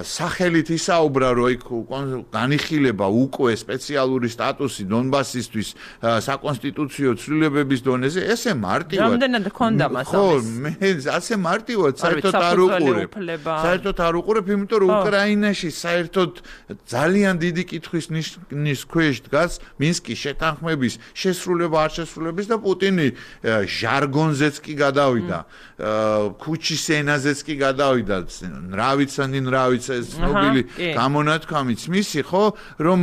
სახელით ისაუბრა რომ იქ განიხილება უკვე სპეციალური სტატუსი დონბასისთვის საკონსტიტუციო ცვლილებების დონეზე ესე მარტივად რამდენად ჰქონდა მას ხო მე ასე მარტივად საერთოდ არ უყურებ საერთოდ არ უყურებ იმიტომ რომ უკრაინაში საერთოდ ძალიან დიდი კითხვის ნიშნის ქვეშ დგას მინსკის შეთანხმების შესრულება არ შესრულების და პუტინი ჟარგონზეც კი გადავიდა ქუჩის ენაზეც კი გადავიდა ნრავიცანი ნრავიცა ეს ცნობილი გამონათქვამიც მისი ხო რომ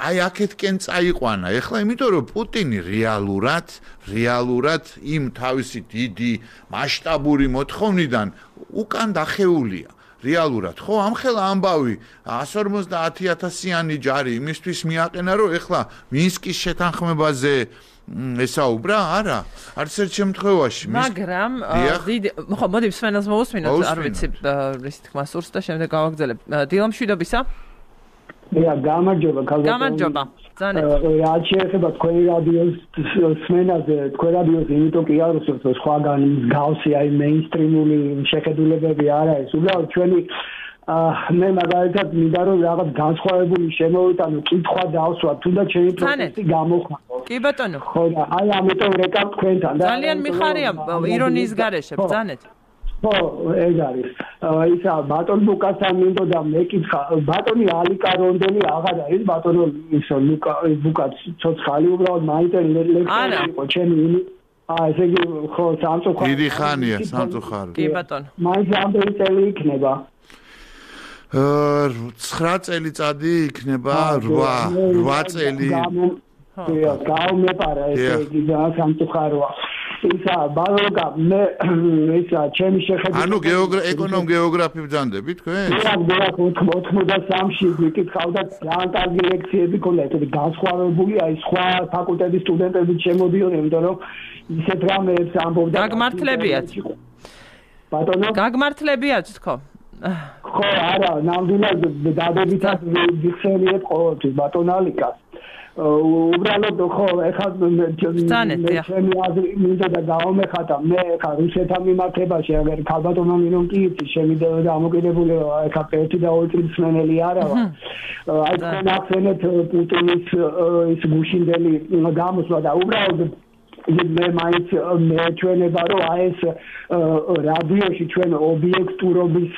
აი აქეთკენ წაიყვანა ეხლა იმიტომ რომ პუტინი რეალურად რეალურად იმ თავისი დიდი მასშტაბური მოთხოვნიდან უკან დახეულია რეალურად ხო ამხელა ამბავი εκατს ორმოცდაათი ათასიანი ჯარი იმისთვის მიაყენა რომ ეხლა მინსკის შეთანხმებაზე ესაუბრა არა არც ერთ შემთხვევაში მაგრამ დიდი ხო მოდი მსმენელს მოусმინოთ არ ვიცი რის თქმა სურს და შემდეგ გავაგზავნებ დილამშვიდობისა Ja, გამარჯობა, ქალბატონო. გამარჯობა. Ძანეთ. რაც შეეხება თქვენი რადიოს სმენაზე, თქვენ რადიოს იმიტომ კი არ უსურთ სხვაგან მსგავსი აი მეინსტრიმული შეხედულებები არ არის. უბრალოდ ჩვენი მე მაგალითად მინდა რომ რაღაც განსხვავებული შემოვიტანო კითხვა დავსვა, თუნდაც ჩემი პროფესი გამოხმარო. კი ბატონო. ხო და აი ამიტომ რეკავ თქვენთან და ძალიან მიხარია ირონიის გარეშე, ბრძანეთ. ხო, ეგ არის. ისა ბატონ ბუკასთან მინდოდა მეკითხა, ბატონი ალიკა რონდელი აღარ არის, ბატონო ისო ლუკა ბუკა ცოცხალი უბრალოდ მაინტერესებს იყო ჩემი აა ესე იგი ხო სამწუხაროდ დიდი ხანია სამწუხაროდ. კი ბატონო. მაინც რამდენი წელი იქნება? ცხრა წელიწადი იქნება, რვა, რვა წელი. ხო, გამეპარა ესე იგი სამწუხაროა. ისა ბალოგა მე ისა ჩემი შეხედვით ანუ ეკონომ გეოგრაფი ბრძანდები თქვენ? მე ოცდამეცხრეში ვიკითხავდა ძალიან კარგი ლექციები ქონდა ესეთი განსხვავებული აი სხვა ფაკულტეტის სტუდენტები შემოდიოდნენ იმიტომ რომ ისეთ რამეებს ამბობდა გაგმართლებიათ ბატონო გაგმართლებიათ თქო ხო არა ნამდვილად დადებითად ვიხსენიებ ყოველთვის ბატონ ალიკას უბრალოდ ხო ეხლა ჩემი აზრი მინდა და გავამეხატა მე ეხლა რუსეთთან მიმართებაში აგერ ქალბატონო მინონ კი იცი შემიძლია დამოკიდებული ეხლა ერთი და ორი წლის სმენელი არა ვარ აი თქვენ ახსენეთ პუტინის ის გუშინდელი გამოსვლა და უბრალოდ მე მაინც მეჩვენება რომ აი ეს რადიოში ჩვენ ობიექტურობის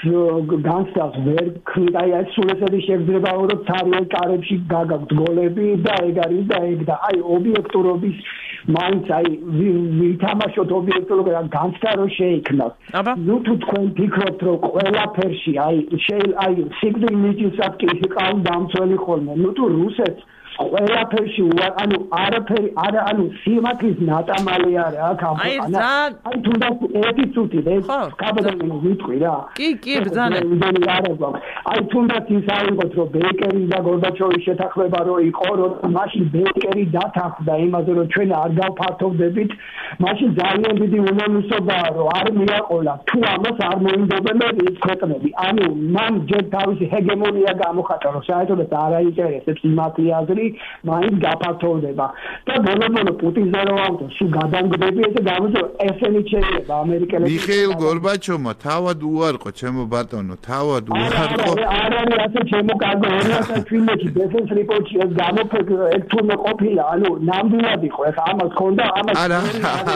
განცდას ვერ ქმნით აი ეს სულ ესეთი შეგრძნება რომ ცარიელ კარებში გაგაქვთ გოლები და ეგ არის და ეგ და აი ობიექტურობის მაინც აი ვითამაშოთ ობიექტურობა განცდა რომ შეიქმნას ნუ თუ თქვენ ფიქრობთ რომ ყველაფერში აი აი სიგნალ მიჯისაც კი იყავ დამცველი ხოლმე ნუ თუ რუსეთს ყველაფერში ანუ არაფერი არა ანუ სიმართლის ნატამალი არა აქ აი აი თუნდაც ერთი წუთი ეს კაბადონი ვიტყვი რა კი კი ბრძანეთ აი თუნდაც ის აიღოთ რომ ბეკერი და გორბაჩოვის შეთანხმება რო იყო რომ მაშინ ბეკერი დათანხმდა იმაზე რომ ჩვენ არ გავფართოვდებით მაშინ ძალიან დიდი უნანუსობაა რომ არ მიაყოლა თუ ამას არ მოინდობენ ის ქვეყნები ანუ მან ჯერ თავისი ჰეგემონია გამოხატა რომ საერთოდ არ აინტერესებს სიმართლე აზრი მაინც გაფართოვდება და ბოლო-ბოლო პუტინზე რო ავთო სულ გადამგდები და გამოძო ესენი შეიძლება ამერიკელები მიხეილ გორბაჩოვმა თავად უარყო ჩემო ბატონო თავად უარყო არ არის ასე ჩემო კარგო ორი ათას წლებში დეფენს რიპორტში ეს გამოფექრო ეგ თურმე ყოფილა ანუ ნამდვილად იყო ეხა ამას ქონდა ამას არა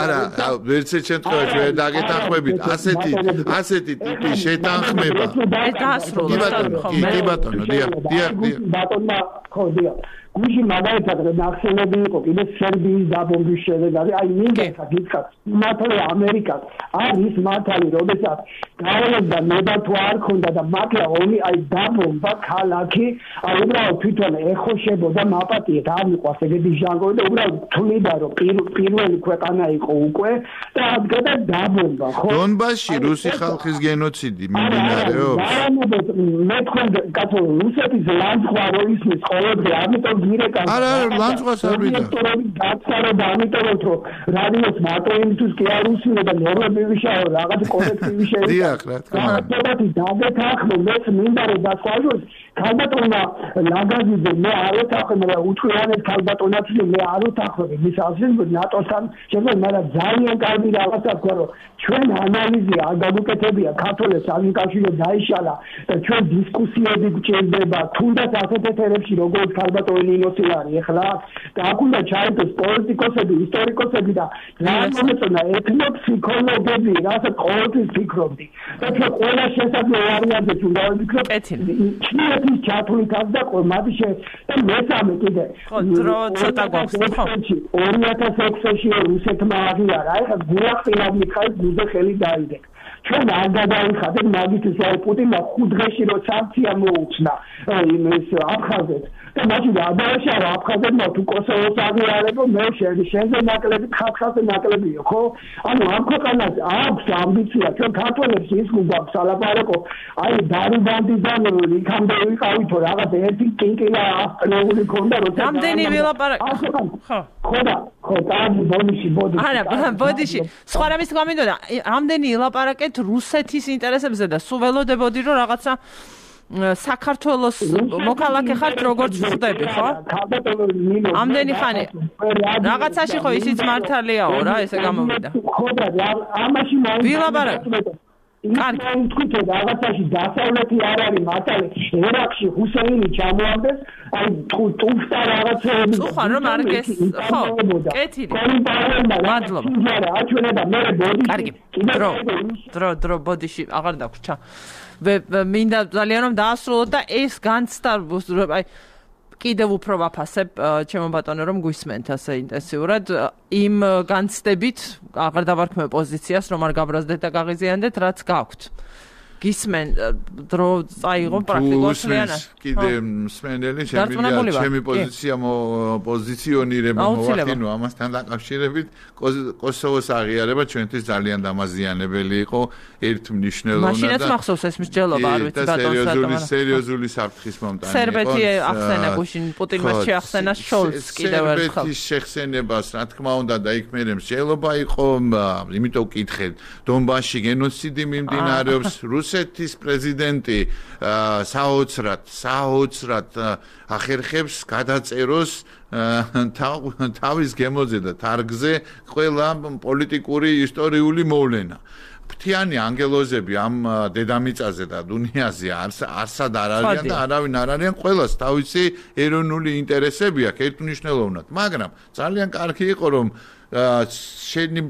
არა ვერც შემთხვევაში ვერ დაგეთანხმებით ასეთი ასეთი ტიპის შეთანხმება ეს დაასრულა კი ბატონო დიახ დიახ ბატონმა ხო დიახ გუშინ მაგალითად ნახსენები იყო კიდე სერბიის დაბომბვის შედეგად აი მინდა გითხრათ მართლა ამერიკას არის მართალი როდესაც გაველებდა ნება თუ არ ქონდა და მართლა ომი აი დაბომბა ქალაქი აი უბრალოდ თვითონ ეხოშებოდა მაპატიეთ არ მიყვარს ეგეთი ჟანგორი და უბრალოდ თვლიდა რომ პირველი ქვეყანა იყო უკვე და ადგა დაბომბა ხო დონბასში რუსი ხალხის გენოციდი მიმდინარეობს მე თქვენ კაცო რუსეთის ლანძღვა რო ისმის ყოველდღე ამიტომ არა ლანძღვას არ ვიდა გაცარო და ამიტომ რომ რადიოს მარტო იმისთვის კი არ უსმენდა და ნორმები ვიშაო რაღაც კოლექტივი შეიძლება დიახ რა თქმა უნდა დაგეთახმო მეც მინდა რომ დასვაჟოს ქალბატონმა ლაგაზიძე მე არ ეთახმე მაგრამ უჩვენეთ ქალბატონაც მე არ უთახმები მის აზრით ნატოსთან შემდგომ მაგრამ ძალიან კარგი რაღაცა თქვა რომ ჩვენ ანალიზი არ გაგუკეთებია ქართულებს სამკავშირო დაიშალა და ჩვენ დისკუსიები გჭირდება თუნდაც ასეთ ეთერებში როგორც ქალბატონი ნინოსილარი ეხლა და აქ უნდა ჩაერთოს პოლიტიკოსები ისტორიკოსები და რაღაცა ეთნოფსიქოლოგები რასაც ყოველთვის ფიქრობდი და ჩვენ ყველა შესაძლო ვარიანტებს უნდა ვიფიქროთ ჩინეთის ჩათვლითაც და მათი და მესამე კიდე ხო დრო ცოტა გვაქვს ხო ორი ათას ექვსში რუსეთმა აღიარა ეხლა გულახდილად მიხაილ გუზე ხელი დაიდეკ ჩვენ არ გადავიხადეთ მაგისთვის აი პუტინმა ხუთ დღეში რო სანქცია მოუწნა იმის აფხაზეთს და მაშინ გადააშალა აფხაზეთმა თუ კოსოვოს აღიარებო მე შენზე ნაკლები ხალხაზე ნაკლებიო ხო ანუ ამ ქვეყანას აქვს ამბიცია ჩვენ ქართველებს ის გვაქვს ალაპარაკო აი დარუბანდიდან იქამდე ვიყავითო რაღაც ერთი კინკილა ასტრეული ქონდა როცა რამდენი ვილაპარაკ ხო ხო და ხო კარგი ბოდიში ბოდიში არა ბოდიში სხვა რამის გამინდოდა რამდენი ილაპარაკეთ რუსეთის ინტერესებზე და სულ ველოდებოდი რომ რაღაცა საქართველოს მოქალაქე ხართ როგორც ვხვდები, ხო? ამდენი ხანი რაღაცაში ხო ისიც მართალიაო რა, ესე გამოვიდა. ხო და ამაში მაინც ვილაპარაკ. კარგი, თქვით რომ რაღაცაში დასავლეთი არ არის მართალი, ერაყში ჰუსეინი ჩამოამდეს, აი ტუფტა რაღაცეები. უხარ რომ არ გეს, ხო, კეთილი. მადლობა. აჩვენება მე ბოდიში. კარგი. დრო, დრო, დრო ბოდიში აღარ დაგვრჩა. მინდა ძალიან რომ დაასრულოთ და ეს განცდა აი კიდევ უფრო ვაფასებ ჩემო ბატონო რომ გვისმენთ ასე ინტენსიურად იმ განცდებით აღარ დავარქმევ პოზიციას რომ არ გაბრაზდეთ და გაღიზიანდეთ რაც გაქვთ გისმენ დრო წაიღო პრაქტიკულად კიდე მსმენელი შემიძლია ჩემი პოზიცია პოზიციონირება მოვახდინო ამასთან დაკავშირებით კოსოვოს აღიარება ჩვენთვის ძალიან დამაზიანებელი იყო ერთმნიშვნელოვნად და მაშინაც მახსოვს ეს მსჯელობა არ ვიცი ბატონო სერიოზული სერიოზული საფრთხის მომტანი იყო სერბეთი ახსენა გუშინ პუტინმა შეახსენა შოლც კიდევ ერთხელ სერბეთის შეხსენებას რა თქმა უნდა და იქ მე მსჯელობა იყო იმიტომ ვკითხეთ დონბასში გენოციდი მიმდინარეობს რუსეთის პრეზიდენტი საოცრად საოცრად ახერხებს გადაწეროს თავის გემოზე და თარგზე ყველა პოლიტიკური ისტორიული მოვლენა ფრთიანი ანგელოზები ამ დედამიწაზე და დუნიაზე არსად არ არიან და არავინ არ არიან ყველას თავისი ეროვნული ინტერესები აქვს ერთმნიშვნელოვნად მაგრამ ძალიან კარგი იყო რომ შენი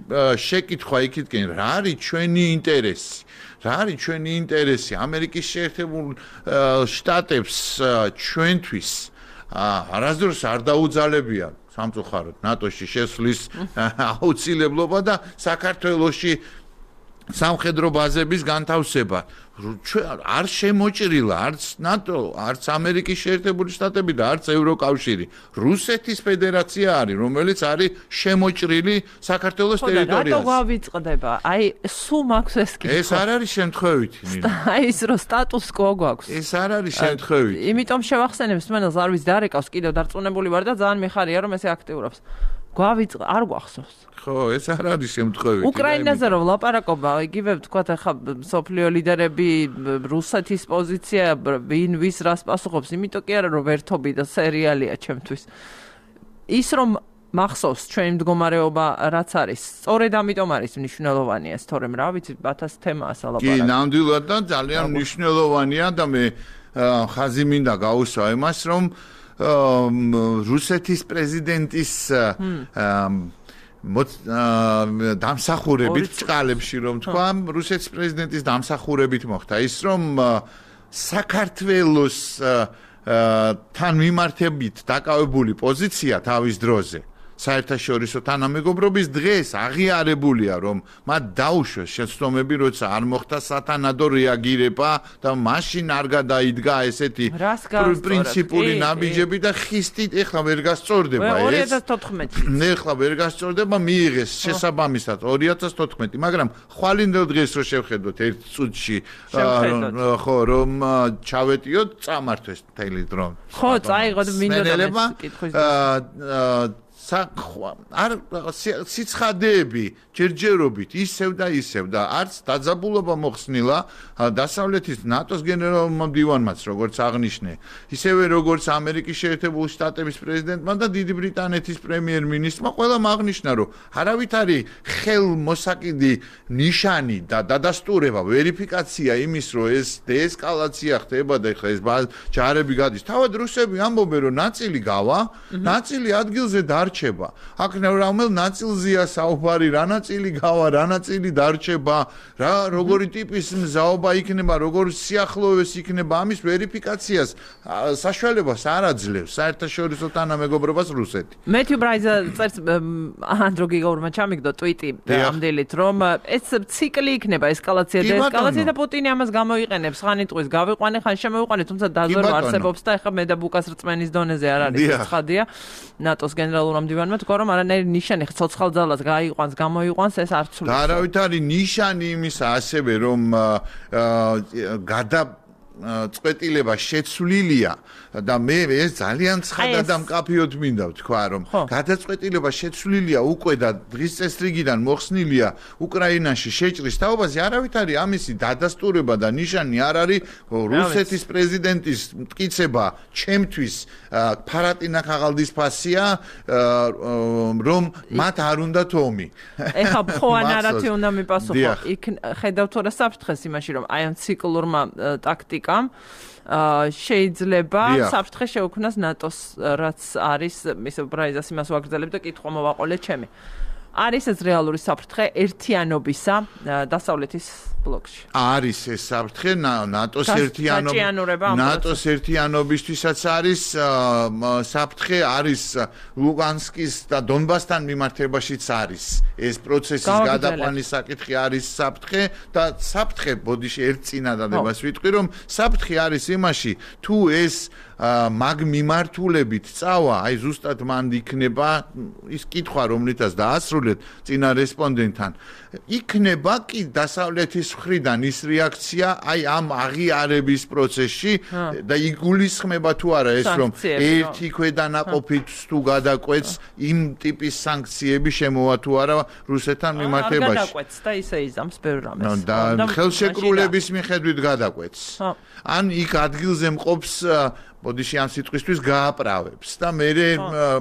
შეკითხვა იქითკენ რა არის ჩვენი ინტერესი რა არის ჩვენი ინტერესი ამერიკის შეერთებულ შტატებს ჩვენთვის არასდროს არ დაუძალებია სამწუხაროდ ნატოში შესვლის აუცილებლობა და საქართველოში სამხედრო ბაზების განთავსება არ შემოჭრილა არც ნატო არც ამერიკის შეერთებული შტატები და არც ევროკავშირი რუსეთის ფედერაცია არის რომელიც არის შემოჭრილი საქართველოს ტერიტორიაზე რატო გავიწყდება აი სულ მაქვს ეს კითხვა ეს არ არის შემთხვევითი მინდა აი ის რო სტატუს quo გვაქვს ეს არ არის შემთხვევითი იმიტომ შევახსენებ მსმენელს არ ვიცი დარეკავს კიდევ დარწმუნებული ვარ და ძალიან მიხარია რომ ესე აქტიურობს გავიწყ არ გვახსოვს ხო ეს არ არის შემთხვევითი უკრაინაზე რომ ლაპარაკობა იგივე ვთქვათ ახლა სოფლიო ლიდერები რუსეთის პოზიცია ვინ ვის რას პასუხობს იმიტომ კი არა რომ ვერთობი და სერიალია ჩემთვის ის რომ მახსოვს ჩვენი მდგომარეობა რაც არის სწორედ ამიტომ არის მნიშვნელოვანი ეს თორემ რა ვიცი ბათას თემაა სალაპარაკო კი ნამდვილად და ძალიან მნიშვნელოვანია და მე ხაზი მინდა გაუსვა იმას რომ რუსეთის პრეზიდენტის დამსახურებით წყალებში რომ თქვა რუსეთის პრეზიდენტის დამსახურებით მოხდა ის რომ საქართველოს თან მიმართებით დაკავებული პოზიცია თავის დროზე საერთაშორისო თანამეგობრობის დღეს აღიარებულია რომ მათ დაუშვეს შეცდომები როცა არ მოხდა სათანადო რეაგირება და მაშინ არ გადაიდგა ესეთი პრინციპული ნაბიჯები და ხისტით ეხლა ვერ გასწორდება ეს ორი ათას თოთხმეტი ეხლა ვერ გასწორდება მიიღეს შესაბამისად ორი ათას თოთხმეტი მაგრამ ხვალინდელ დღეს რო შევხედოთ ერთ წუთში ხო რომ ჩავეტიოთ წამართვეს მთელი დრო ხო წაიღოთ მინდოდა კითხვის საქმე არ სიცხადეები ჯერჯერობით ისევ და ისევ და არც დაძაბულობა მოხსნილა დასავლეთის ნატოს გენერალურმა მდივანმაც როგორც აღნიშნე ისევე როგორც ამერიკის შეერთებული შტატების პრეზიდენტმა და დიდი ბრიტანეთის პრემიერ-მინისტრმა ყველამ აღნიშნა რომ არავითარი ხელმოსაკიდი ნიშანი და დადასტურება ვერიფიკაცია იმის რომ ეს დეესკალაცია ხდება და ხა ეს ჯარები გადის თავად რუსები ამბობენ რომ ნაწილი გავა ნაწილი ადგილზე დარჩება აქ რომელ ნაწილზეა საუბარი რა ნაწილი გავა რა ნაწილი დარჩება რა როგორი ტიპის მზაობა იქნება როგორი სიახლოვეს იქნება ამის ვერიფიკაციას საშუალებას არ აძლევს საერთაშორისო თანამეგობრობას რუსეთი მეთიუ ბრაიზა წერს ანდრო გიგაურმა ჩამიგდო ტვიტი ამდელით რომ ეს ციკლი იქნება ესკალაცია და ესკალაცია და პუტინი ამას გამოიყენებს ხანი ტყვის გავიყვანე ხან შემოვიყვანე თუმცა დაზვერვა არსებობს და ეხლა მე და ბუკას რწმენის დონეზე არ არის ცხადია ნატოს გენერალურმა მდივანმა თქვა რომ არანაირი ნიშანი ცოცხალ ძალას გაიყვანს გამოიყვანს ეს არ ცulis და არავითარი ნიშანი იმისა ასევე რომ გადა წვეტილება შეცვლილია და მე ეს ძალიან ცხადად და მკაფიოდ მინდა ვთქვა რომ გადაწყვეტილება შეცვლილია უკვე და დღის წესრიგიდან მოხსნილია უკრაინაში შეჭრის თაობაზე არავითარი ამისი დადასტურება და ნიშანი არ არის რუსეთის პრეზიდენტის მტკიცება ჩემთვის ფარატინა ხაღალდისფასია რომ მათ არ უნდათ ომი ეხლა ხო ნარატივი უნდა მიპასუხო იქ ხედავთ რა საფრთხეს იმაში რომ აი ამ ციკლურმა ტაქტიკამ შეიძლება საფრთხე შეუქმნას ნატოს რაც არის ისე ბრაიზას იმას ვაგრძელებ და კითხვა მოვაყოლე ჩემი არის ეს რეალური საფრთხე ერთიანობისა დასავლეთის ბლოკში არის ეს საფრთხე ნატოს ერთიანობა ნატოს ერთიანობისთვისაც არის საფრთხე არის ლუგანსკის და დონბასთან მიმართებაშიც არის ეს პროცესის გადაყვანის საკითხი არის საფრთხე და საფრთხე ბოდიში ერთ წინადადებას ვიტყვი რომ საფრთხე არის იმაში თუ ეს მაგ მიმართულებით წავა აი ზუსტად მან იქნება ის კითხვა რომლითაც დაასრულეთ წინა რესპონდენტთან იქნება კი დასავლეთის მხრიდან ის რეაქცია აი ამ აღიარების პროცესში და იგულისხმება თუ არა ეს რომ ერთი ქვედანაყოფით თუ გადაკვეთს იმ ტიპის სანქციები შემოვა თუ არა რუსეთთან მიმართებაში არ გადაკვეთს და ისე იზამს ბევრ რამეს და ხელშეკრულების მიხედვით გადაკვეთს ან იქ ადგილზე მყოფს ბოდიში ამ სიტყვისთვის გააправებს და მე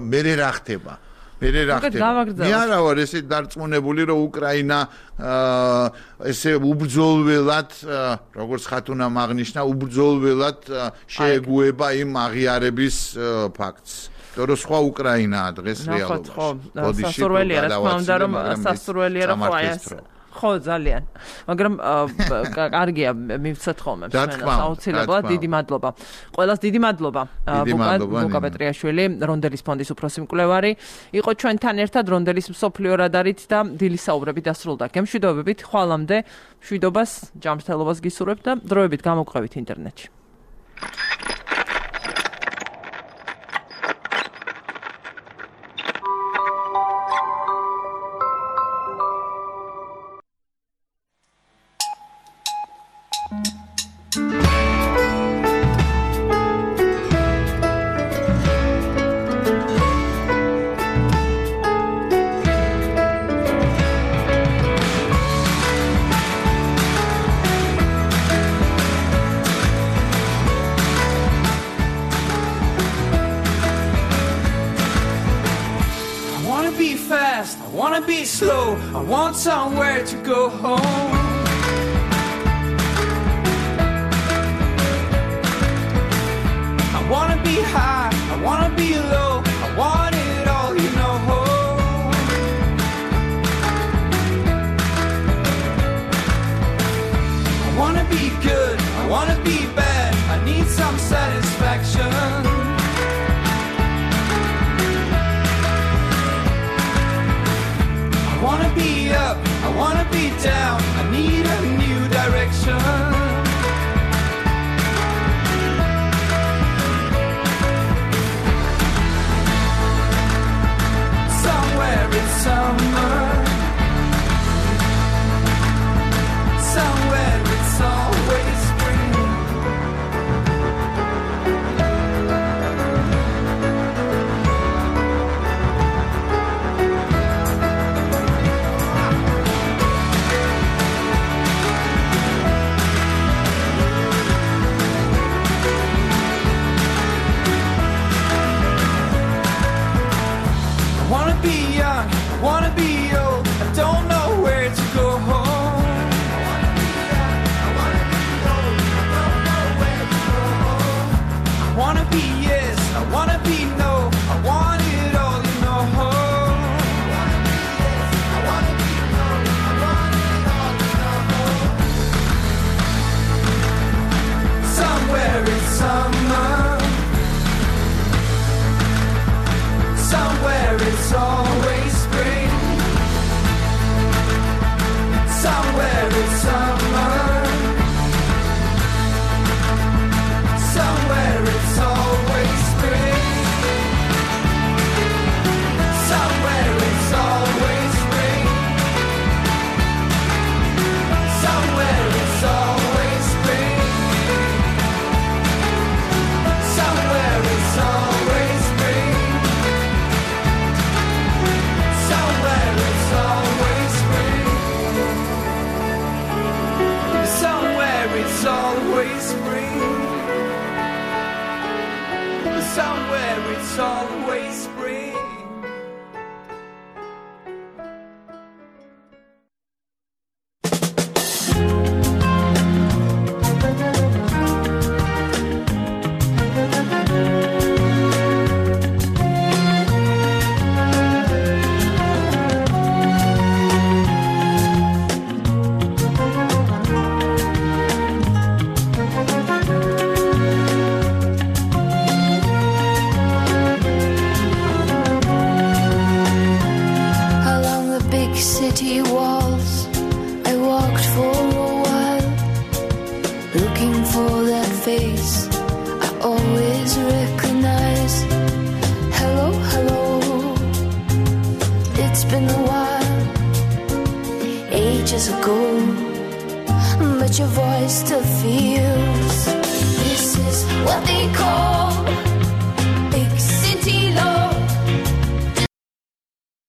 მე რა ხდება მე რა ხდება მე არა ვარ ესე დარწმუნებული რომ უკრაინა ესე უბრძოლველად როგორც ხათუნამ აღნიშნა უბრძოლველად შეეგუება იმ აღიარების ფაქტს რომ სხვა უკრაინაა დღეს რეალობაში ბოდიში სასურველია რა თქმა უნდა რომ სასურველია რომ ხო აი ეს ხო ძალიან მაგრამ კარგია მივცეთ ხოლმე აუცილებლად დიდი მადლობა ყველას დიდი მადლობა ბუკა პეტრიაშვილი რონდელის ფონდის უფროსი მკვლევარი იყო ჩვენთან ერთად რონდელის მსოფლიო რადარით და დილის საუბრები დასრულდა გემშვიდობებით ხვალამდე მშვიდობას ჯანმრთელობას გისურვებთ და დროებით გამოგყევით ინტერნეტში I want somewhere to go home. I wanna be high, I wanna be low, I want it all, you know. I wanna be good, I wanna be bad, I need some satisfaction. I wanna be up, I wanna be down, I need a new direction. Somewhere in summer, somewhere it's always spring. I wanna be old, I don't know where to go home. I wanna be young, I wanna be old, I don't know where to go home. I wanna be yes, I wanna be no, I want it all, you know. I wanna be yes, I wanna be no, I want it all, you know. Somewhere in summer, somewhere it's always spring. Somewhere in summer, somewhere it's always spring. Somewhere it's always spring. Somewhere it's always spring. It's been a while, ages ago, but your voice still feels. This is what they call